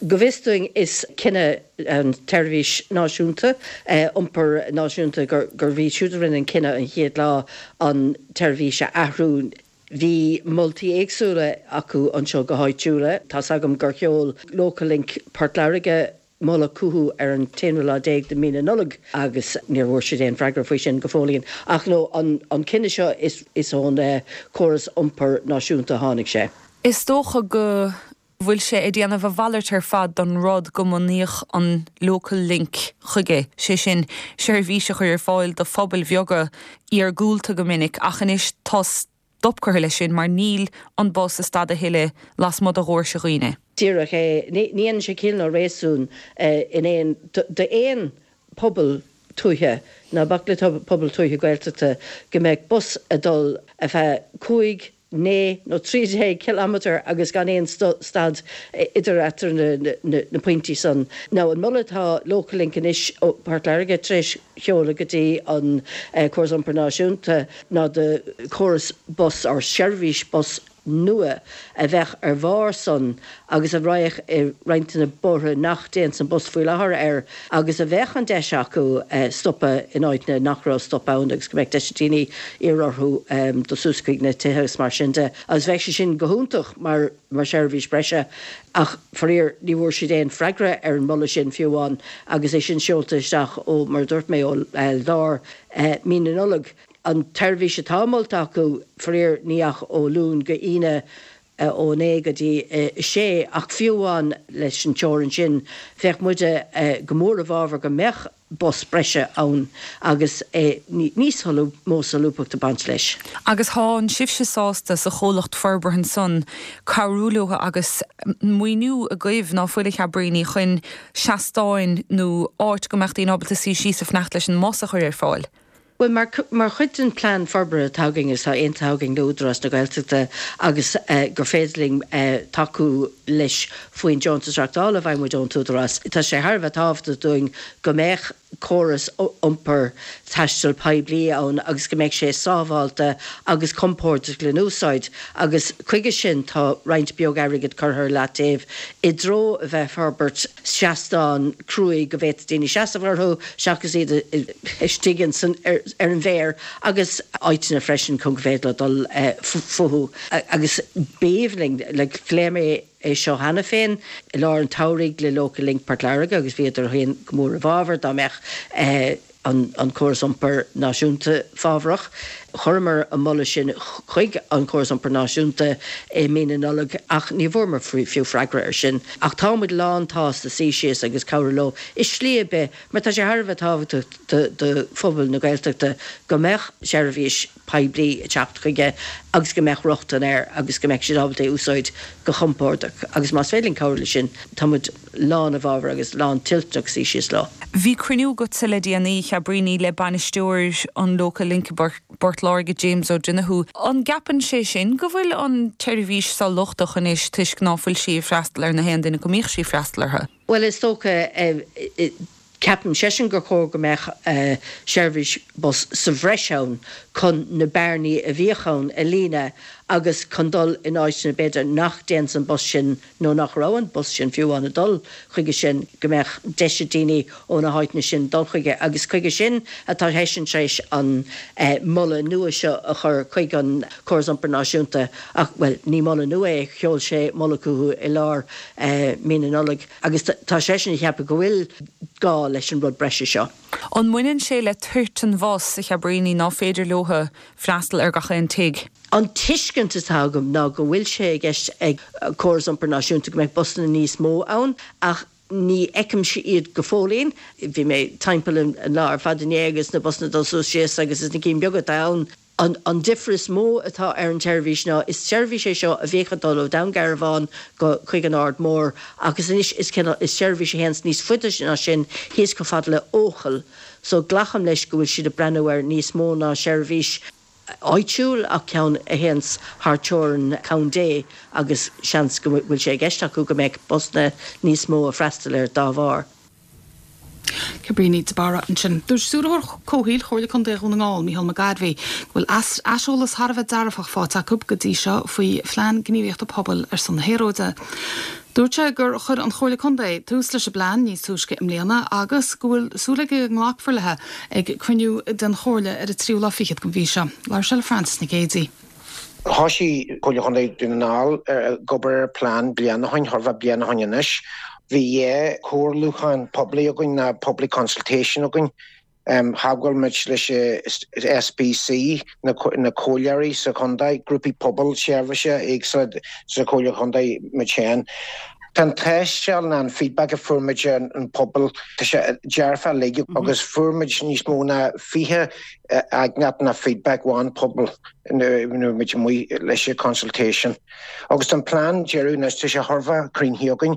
Go bhfios dúinn is cinneadh an tseirbhís náisiúnta, iompar náisiúnta, gurbh iad siúd a rinne an cinneadh an chéad lá an tseirbhís a athrú. Bhí moltaí éagsúla acu anseo go háitiúla. Tá's agam gur sheol Local Link Port Láirge moladh chucu ar an t-aonú lá déag de mí na Nollag agus níor bhfuair siad aon freagra faoi sin go fóillín. Ach no, an an cinneadh seo is is ón córas iompar náisiúnta a tháinig sé. Is dócha go bhfuil sé ag déanamh a mhalairt ar fad don rud go mbunaíodh an Local Link chuige, sé sin seirbhís a chur ar fáil do phobail bheaga iargúlta go minic ach anois tá stop curtha leis sin mar níl an bus ag stad a thuilleadh lasmuigh de dhoirse dhaoine. Díreach é. Ní dhéanann sé ciall ná réasún in aon d'aon pobal tuaithe, ná bac le pobal tuaithe Gaeltachta, go mbeadh bus ag dul ar feadh cúig, naoi nó trí déag cileámatar agus gan aon stad idir eatarthu na pointí san. Now an moladh atá Local Link anois ó Port Láirge tar éis sheoladh go dtí an Córas Iompair Náisiúnta ná do chóras bus or seirbhís bus nua a bheadh ar bharr san agus a raghadh i roinnt de na bóithre nach dtéanns an bus faoi láthair air agus a bheadh an deis acu stopadh in áiteanna nach raibh stop ann agus go mbeadh deis ag daoine iarraidh orthu dul suas chuig na tithe agus mar sin de agus bheadh sé sin go hiontach mar mar sheirbhís breise ach faraor ní bhfuair siad aon freagra ar an moladh sin fiú amháin agus é sin seolta isteach ó mar a dúirt mé ó lár mí na Nollag. An tseirbhís atá molta acu, faraor, ní ach ó Luan go hAoine ó a naoi go dtí a sé, ach fiú amháin leis an teorainn sin, bheadh muide go mór i bhfabhar go mbeadh bus breise ann agus níos mó solúbthachta ag baint leis. Agus thánn sibhse sásta sa chomhlacht forbartha ansan cabhrú leo agus maoiniú agaibh ná fuil a Chabríní chun seastáin nó áit go mbeadh daoine ábalta suí síos ag fanacht leis an mbus a chur ar fáil? Bhuel, mar, mar chuid den plean forbartha atá againn is atá aontaithe againn le Údarás na Gaeltachta agus gur féidir linn tacú leis faoin deontas reachtála a bhfaigheann muid ón t-údarás, tá sé thar a bheith tábhachtach dúinn go mbeadh córas iompair taistil poiblí ann agus go mbeadh sé sábháilte agus compordach le n-úsáid agus chuige sin tá roinnt beag airgid curtha ar leataobh i dtreo a bheith ag forbairt seastán cruaidh go bhféadfadh daoine seasamh orthu seachas iad istigh ansan ar an bhféar agus áiteanna freisin chun go bhféadfadh leo dul fúthu agus b'aoibhinn linn, like, phléigh mé é seo cheana féin i lár an tsamhraidh le Local Link Port Láirge agus bhíodar féin go mór i bhfabhar dá mbeadh eh, an, an córas iompair náisiúnta fábharach. Chuireamar an moladh sin chuig an córas iompair náisiúnta i mí na Nollag ach ní bhfuaireamar fiú freagra ar sin. Ach táimid lán-tsásta suí síos agus cabhrú leo i slí ar bith, mar tá sé thar a bheith tábhachtach do phobal na Gaeltachta go mbeadh seirbhís poiblí ag teacht chuige agus go mbeadh rochtain air agus go mbeadh siad ábalta é úsáid go compordach agus más féidir linn cabhrú leis sin táimid lán i bhfabhar agus lán toilteanach suí síos leo. Bhí cruinniú agatsa le déanaí a Chabríní le bainisteoir an Local Link i bPort Láirge James O'Donoghue. An gceapann sé sin go bhfuil an tseirbhís seo lochtach anois toisc ná fuil sí ag freastal ar na haon duine go mbíodh sí ag freastal orthu? Well is dócha eh, eh, Ceapann seisean gur chóir go mbeadh uh, seirbhís bus sa bhreis ann chun na bearnaí a bhíodh ann a líonadh agus chun dul in áiteanna b'fhéidir nach dtéann an bus sin nó nach raibh an bus sin fiú an ag dul chuige sin go mbeadh deis ag daoine ó na háiteanna sin dul chuige agus chuige sin atá seisean tar éis an uh, moladh nua seo a chur chuig an córas iompair náisiúnta ach well ní moladh nua é sheol sé moladh chucu i lár uh, mí na Nollag agus tá seisean ag ceapadh go bhfuil gá leis an rud breise seo. An mbaineann sé le toirt an bhus a Chabríní ná féidir leo freastal ar gach aon tigh. An tuiscint atá agam ná go bhfuil sé i gceist ag córas iompair náisiúnta go mbeidh busanna níos mó ann ach ní fheicimse iad go fóillín, bhí mé timpeall an lá ar fad inné agus na busanna dul suas síos agus is na cinn beaga atá ann. An, an difear is mó atá ar an tseirbhís ná is seirbhís é seo a bhíodh ag dul ó Dún Garbhán go chuig an Aird Mhór agus anois is is seirbhís a théanns níos faide ná sin thíos chomh fada le Eochaill. So glacaim leis go bhfuil siad ag breathnú ar níos mó ná seirbhís áitiúil ach ceann a théanns thar teorainn contae agus seans go bhfuil sé i gceist acu go mbeidh busanna níos mó ag freastal air dá bharr. Cabríní de Barra ansin. Dúirt Stiúrthóir Comhshaoil Chomhairle Contae Dhún na nGall Mícheál McGarvey go bhfuil aiseolas thar a bheith dearfach faighte acu go dtí seo faoi phlean gníomhaíochta pobail ar son na haeráide. Dúirt sé gur chuir an Chomhairle Contae tús leis an bplean níos túisce i mbliana agus go bhfuil súil aige go nglacfar leis ag cruinniú den Chomhairle ar an tríú lá fichead den mhí seo. Labhair sé le Francis Nic Géadaigh. Thosaigh Comhairle Chontae Dhún na nGall ag obair ar plean bliain ó shin thar bliain ó shin anois. Bhí dhá chomhairliúchán poiblí againn ná public consultation againn. Um, Theagmháil muid leis SPC na, na comhairleoirí sa chontae, grúpaí pobail seirbhíse éagsúla sa chomhairle chontae muid féin. Tá an tástáil ná an feedback a fuair muid an, an pobal tá sé dearfa uilig mm -hmm. agus fuair muid níos mó ná fiche aighneacht ná feedback ón pobal nuair muid amuigh leis an consultation. Agus an plean deireadh anois tá sé thar a bheith cruinn againn,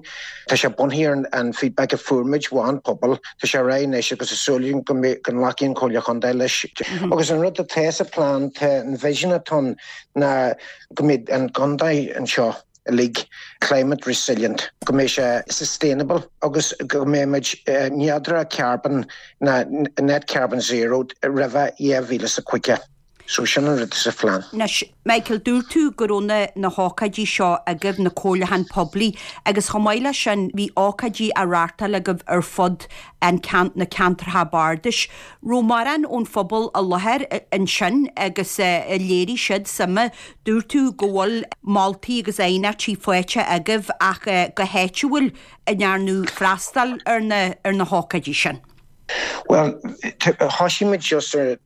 Tá sé bunaithe ar an feedback a fuair muid ón pobal, Tá sé réidh anois agus is súil go nglacfaidh an Chomhairle Chontae leis. Mm -hmm. Agus an rud atá sa plean tá an vision atá ná go mbeidh an contae anseo uilig climate resilient, go mbeidh sé sustainable agus go mbeidh uh, neodracht carbon ná net carbon zero roimh dhá mhíle is caoga. So sin an rud sa phlean. Anois Michael dúirt tú go raibh na na hócáidí seo agaibh na comhairliúcháin poiblí agus chomh maith leis sin bhí ócáidí á reáchtáil agaibh ar fud an cean na ceantracha bardais. Raibh mórán ón phobal i láthair ansin agus uh, léirigh siad suim dúirt tú go bhfuil moltaí agus aighneachtaí faighte agaibh ach uh, go háitiúil a ndearnadh freastal ar na ar na hócáidí sin. Well thosaigh muid just ar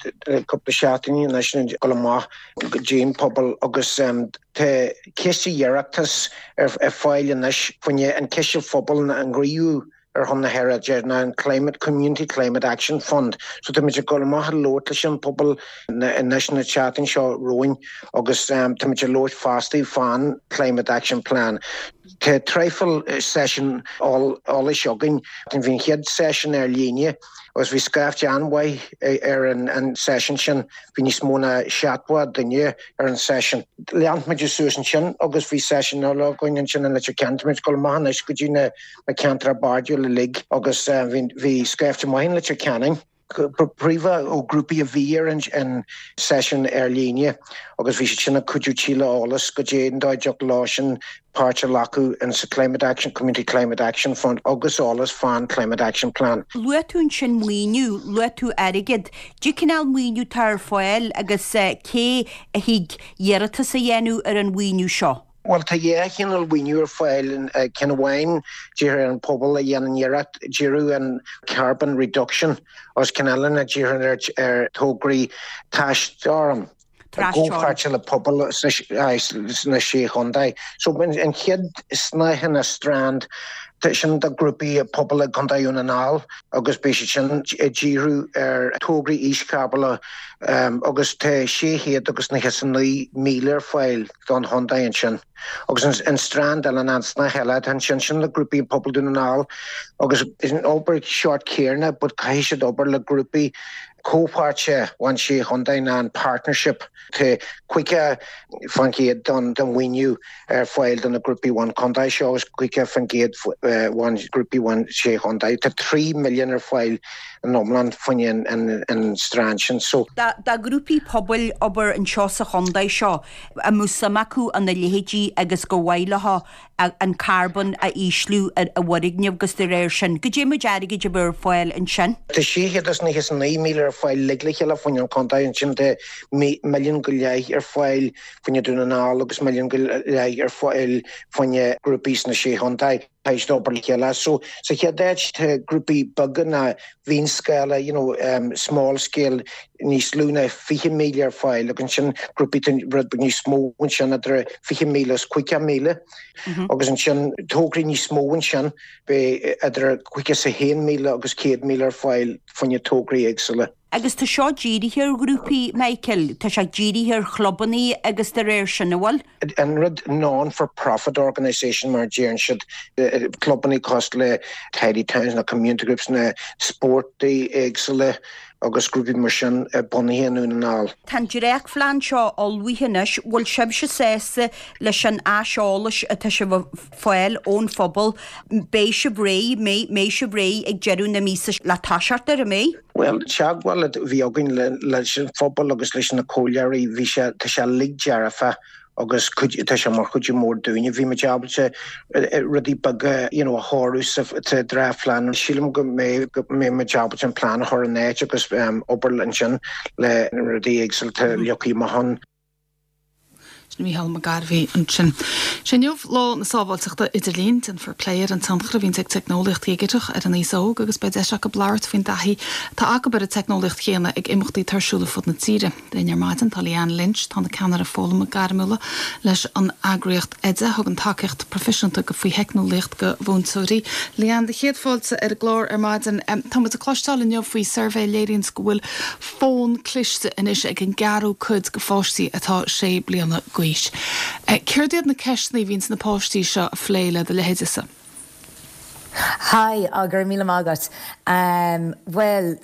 cúpla seachtainí anois go amach go dtí an pobal agus um, tá ciste Oireachtais ar, ar fáil anois faoin an ciste phobail an ghníomhú ar son na haeráide ná an Climate Community Climate Action Fund. So tá muid ag dul amach ag labhairt leis an pobal anois na seachtain seo romhainn agus um, tá muid ag labhairt fosta fán Climate Action Plan. Tá traidhfil session eolais againn, bhí an chéad session ar líne agus bhí scaifte an-mhaith ar an, an session sin, bhí níos mó ná seachtó duine ar an session. Lean muid suas ansin agus bhí session eile againn ansin an Leitir Ceanainn muid dul amach anois go dtí na, na ceantracha bardais uilig agus uh, bhí scaifte maith in Leitir Ceanainn. Príomha ó grúpaí a bhí ar an, an session ar líne agus bhí sin ag cuidiú tuilleadh eolas go dtí an dóigh lá sin páirt a ghlacadh in sa Climate Action Community Climate Action Fund agus eolas fán Climate Action Plan. Luaigh tú ansin maoiniú, luaigh tú airgead, Cén cineál maoiniú atá ar fáil agus uh, cé a thig iarratas a dhéanamh ar an mhaoiniú seo. Bhuel tá dhá chineál mhaoiniú ar fáil, ceann amháin dírithe ar an pobal a dhéanann iarracht díriú an carbon reduction agus ceann eile ná dírithe ar tograí trasteorann i gcomhpháirt le pobail sna Sé Chontae. So an chéad snáithe ná strand sin do grúpaí pobail i gContae Dhún na nGall agus beidh siad sin ag díriú ar tograí íoscharbóna agus tá sé chéad agus nócha is a naoi míle ar fáil don chontae ansin. Agus an strand eile ná an snáithe eile atá ansin, sin le grúpaí pobail Dhún na nGall agus is an obair seort céanna but caithfidh siad obair le grúpaí comhpháirte an sé chontae ná an partnership. Tá caoga faoin gcéad den mhaoiniú ar fáil do na grúpaí an chontae seo agus caoga faoin gcéad ón grúpaí an sé chontae. Tá trí milliún ar fáil in iomlán faoin an strand sin. So. Do ghrúpaí pobail obair anseo sa chontae seo a mbeadh suim acu ina leithéidí agus gur mhaith leo an carbón a ísliú ar a bhfoirgneamh agus de réir sin, goidé méid airgid a bheadh ar fáil ansin. Tá sé chéad is nócha is a naoi míle ar fáil uilig le chéile faoin an chontae ansin tá milliún go leith ar fáil faoin Dún na nGall agus milliún go leith ar fáil faoin grúpaí sna sé chontae. Caithfidh siad obair le chéile. So sa chéad áit tá grúpaí beaga ná mhionscála, you know, um, small scale níos lú ná fiche míle ar fáil agus ansin grúpaí rud beag níos mó ansin idir fiche míle is caoga míle agus ansin tograí níos mó ansin beidh idir caoga is a haon míle agus céad míle ar fáil faoin tograí éagsúla. Agus tá seo dírithe ar ghrúpaí, Michael, tá sé dírithe ar chlubannaí agus de réir sin, an bhfuil? An rud non-for-profit organisation mar a deireann siad, clubannaí cosúil le Tidy Towns na community groups na spórtaí éagsúla agus grúpaí mar sin bunaithe i nDún na nGall. Tá an dréachtphlean seo ullmhaithe anois, bhfuil sibhse sásta leis an aiseolas atá sibh a fáil ón phobal? Beidh sibh réidh, mbeidh sibh réidh ag deireadh na míosa le toiseacht air, an mbeidh? Bhuel, teagmháil a bhí againn leis an phobal agus leis na comhairleoirí, bhí sé, tá sé uilig dearfa agus tá sé mar chuidiú mór dúinne. Bhí muid ábalta rudaí beaga you know, a chóiriú sa dréachtphlean. Sílim go mbeidh go mbeidh muid ábalta an plean a chur in áit agus obair ansin le rudaí éagsúla atá leagtha amach ann. Sin Mícheál Mac Gairbhí ansin. Sé inniu Lá na Sábháilteachta Idirlín. Déanfar plé ar an tionchar a bhíonns ag teicneolaíocht dhigiteach ar an aos óg agus beidh deis acu labhairt faoin dtaithí atá acu ar an teicneolaíocht chéanna ag imeachtaí atá ar siúl ar fud na tíre. Linn ar maidin tá Leanne Lynch, atá ina ceannaire foghlama gairmiúla leis an eagraíocht Oide, a thugann tacaíocht proifisiúnta go faoi theicneolaíocht go mhúinteoirí. Leanne, do chéad fáilte ar an gclár ar maidin. Tá muid ag cloisteáil inniu faoi suirbhé a léiríonns go bhfuil fón cliste anois ag an gceathrú cuid de pháistí atá sé bliana d'aois. Céard iad na ceisteanna a bhíonns na páistí seo a phlé le do leithéidese? Hi, go raibh míle maith agat. Bhuel,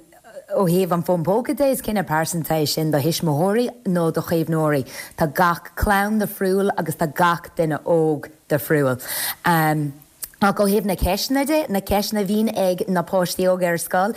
ó thaobh an fón póca de, is cinneadh pearsanta é sin do thuismitheoirí nó do chaomhnóirí. Tá gach clann difriúil agus tá gach duine óg difriúil. Ach ó thaobh na ceisteanna de, na ceisteanna a bhíonn ag na páistí óga ar scoil,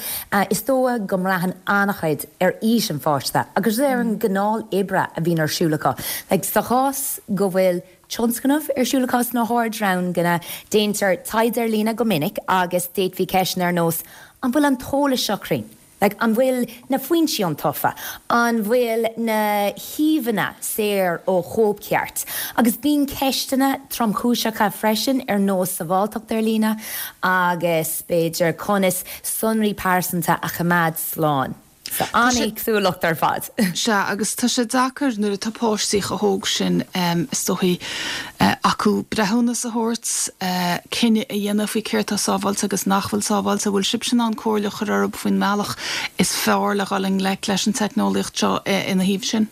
is dóigh go mbraitheann an-chuid ar aois an pháiste agus ar an gcineál oibre a bhíonn ar siúl acu. Like, sa chás go bhfuil tionscnamh ar siúl acu sna hardranganna, déantar taighde ar líne go minic agus d'fhéadfaí ceisteanna ar nós, an bhfuil an t-eolas seo cruinn? Like, an bhfuil na foinsí iontaofa? An bhfuil na híomhánna saor ó chóipcheart? Agus bíonn ceisteanna tromchúiseacha freisin ar nós sábháilteacht ar líne agus b'fhéidir conas sonraí pearsanta a choimeád slán. So an-éagsúlacht ar fad. Sea, agus tá sé deacair nuair atá páistí chomh hóg sin, is dóichí, acu breithiúnas a thabhairt, cinneadh a dhéanamh faoi céard atá sábháilte agus nach bhfuil sábháilte. Bhfuil sibhse in ann comhairle a chur orthu faoin mbealach is fearr le dhul i ngleic leis an teicneolaíocht seo ina thaobh sin?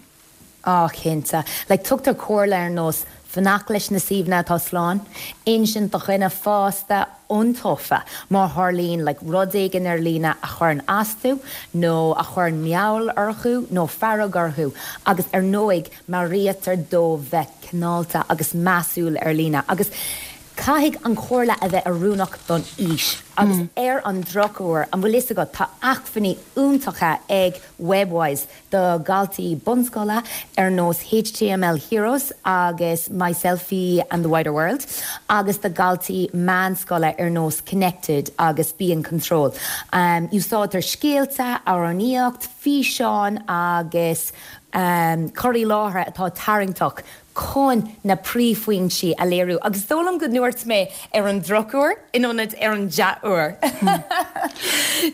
Á, cinnte. Like, tugtar comhairle ar nós fanacht leis na suíomhanna atá slán, insint do dhuine fásta iontaofa má tharlaíonn like rud éigin ar líne a chuireann as tú nó a chuireann meall orthu nó fearg orthu agus ar ndóigh meabhraítear dóibh bheith cineálta agus measúil ar líne agus caithfidh an chomhairle a bheith oiriúnach don aois agus ar an drochuair, an bhfuil fhios agat, tá acmhainní iontacha ag Webwise do dhaltaí bunscoile ar nós HTML Heroes agus My Selfie and the Wider World agus do dhaltaí meánscoile ar nós Connected agus Be in Control. Úsáidtear scéalta, amhránaíocht, físeáin agus cur i láthair atá tarraingteach chun na príomhphointí a léiriú. Agus is dóigh liom go ndúirt mé ar an drochuair in ionad ar an dea-uair.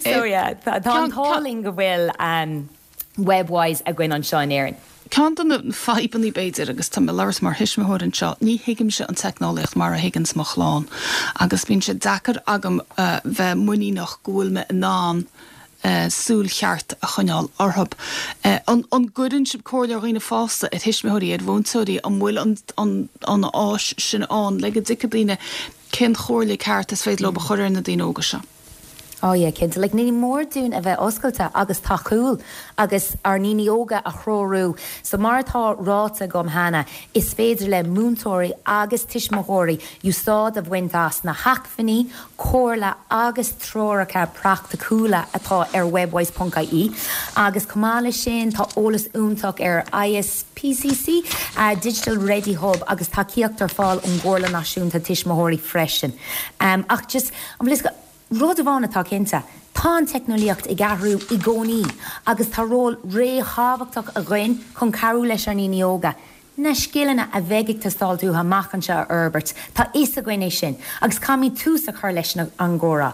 So yeah, tá an t-ádh linn go bhfuil Webwise againn anseo in Éirinn. Ceann de na fadhbanna b'fhéidir, agus tá mé ag labhairt mar thuismitheoir anseo, ní thuigimse an teicneolaíocht mar a thuigeanns mo chlann agus bíonn sé deacair agam bheith muiníneach go bhfuil mé in ann súil cheart a choinneáil orthu. An gcuireann sibh comhairle ar dhaoine fásta, ar thuismitheoirí, ar mhúinteoirí, an bhfuil an áis sin ann le go dtuigfidh daoine cén chomhairle ceart is féidir leo a chur ar na daoine óga seo? Oh yeah, cinnte. Like, ní mór dúinn a bheith oscailte agus tacúil agus ár ndaoine óga a threorú. So mar atá ráite agam cheana, is féidir le múinteoirí agus tuismitheoirí úsáid a bhaint as na hacmhainní, comhairle agus treoracha praiticiúla atá ar webwise ponc ie. Agus chomh maith leis sin, tá eolas iontach ar I S P C C Digital Ready Hub agus tacaíocht ar fáil ón gComhairle Náisiúnta Tuismitheoirí freisin. Ach just, an bhfuil fhios agat, rud amháin atá cinnte, tá an teicneolaíocht ag athrú i gcónaí agus tá ról ríthábhachtach againn chun cabhrú leis ár ndaoine óga na scileanna a bheidh ag teastáil uathu amach anseo a fhorbairt. Tá fhios againn é sin agus caithfimid tús a chur leis an gcomhrá,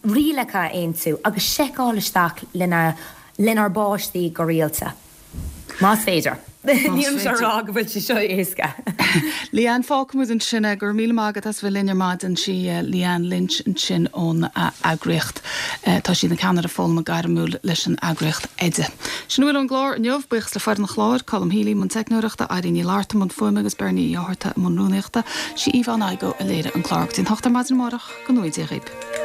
rialacha a aontú agus seiceáil isteach lenár bpáistí go rialta. Más féidir. Nílimse ag rá go bhfuil sé seo éasca. Leanne, fágfaimid ansin é. Go raibh míle maith agat as bheith linn ar maidin. Sí Leanne Lynch ansin ón eagraíocht. Tá sí ina ceannaire foghlama gairmiúil leis an eagraíocht Oide. Sin a bhfuil ón gclár inniu. Buíochas le foireann an chláir, Colm Healy i mbun teicneoireachta, Irene Ní Fhlatharta i mbun fuaime agus Bernie Uí Fhátharta i mbun rúnaíochta. Sí Yvonne Igoe a léirigh an clár. Go dtí an hocht ar maidin amárach, go ngnóthaí Dia dhaoibh.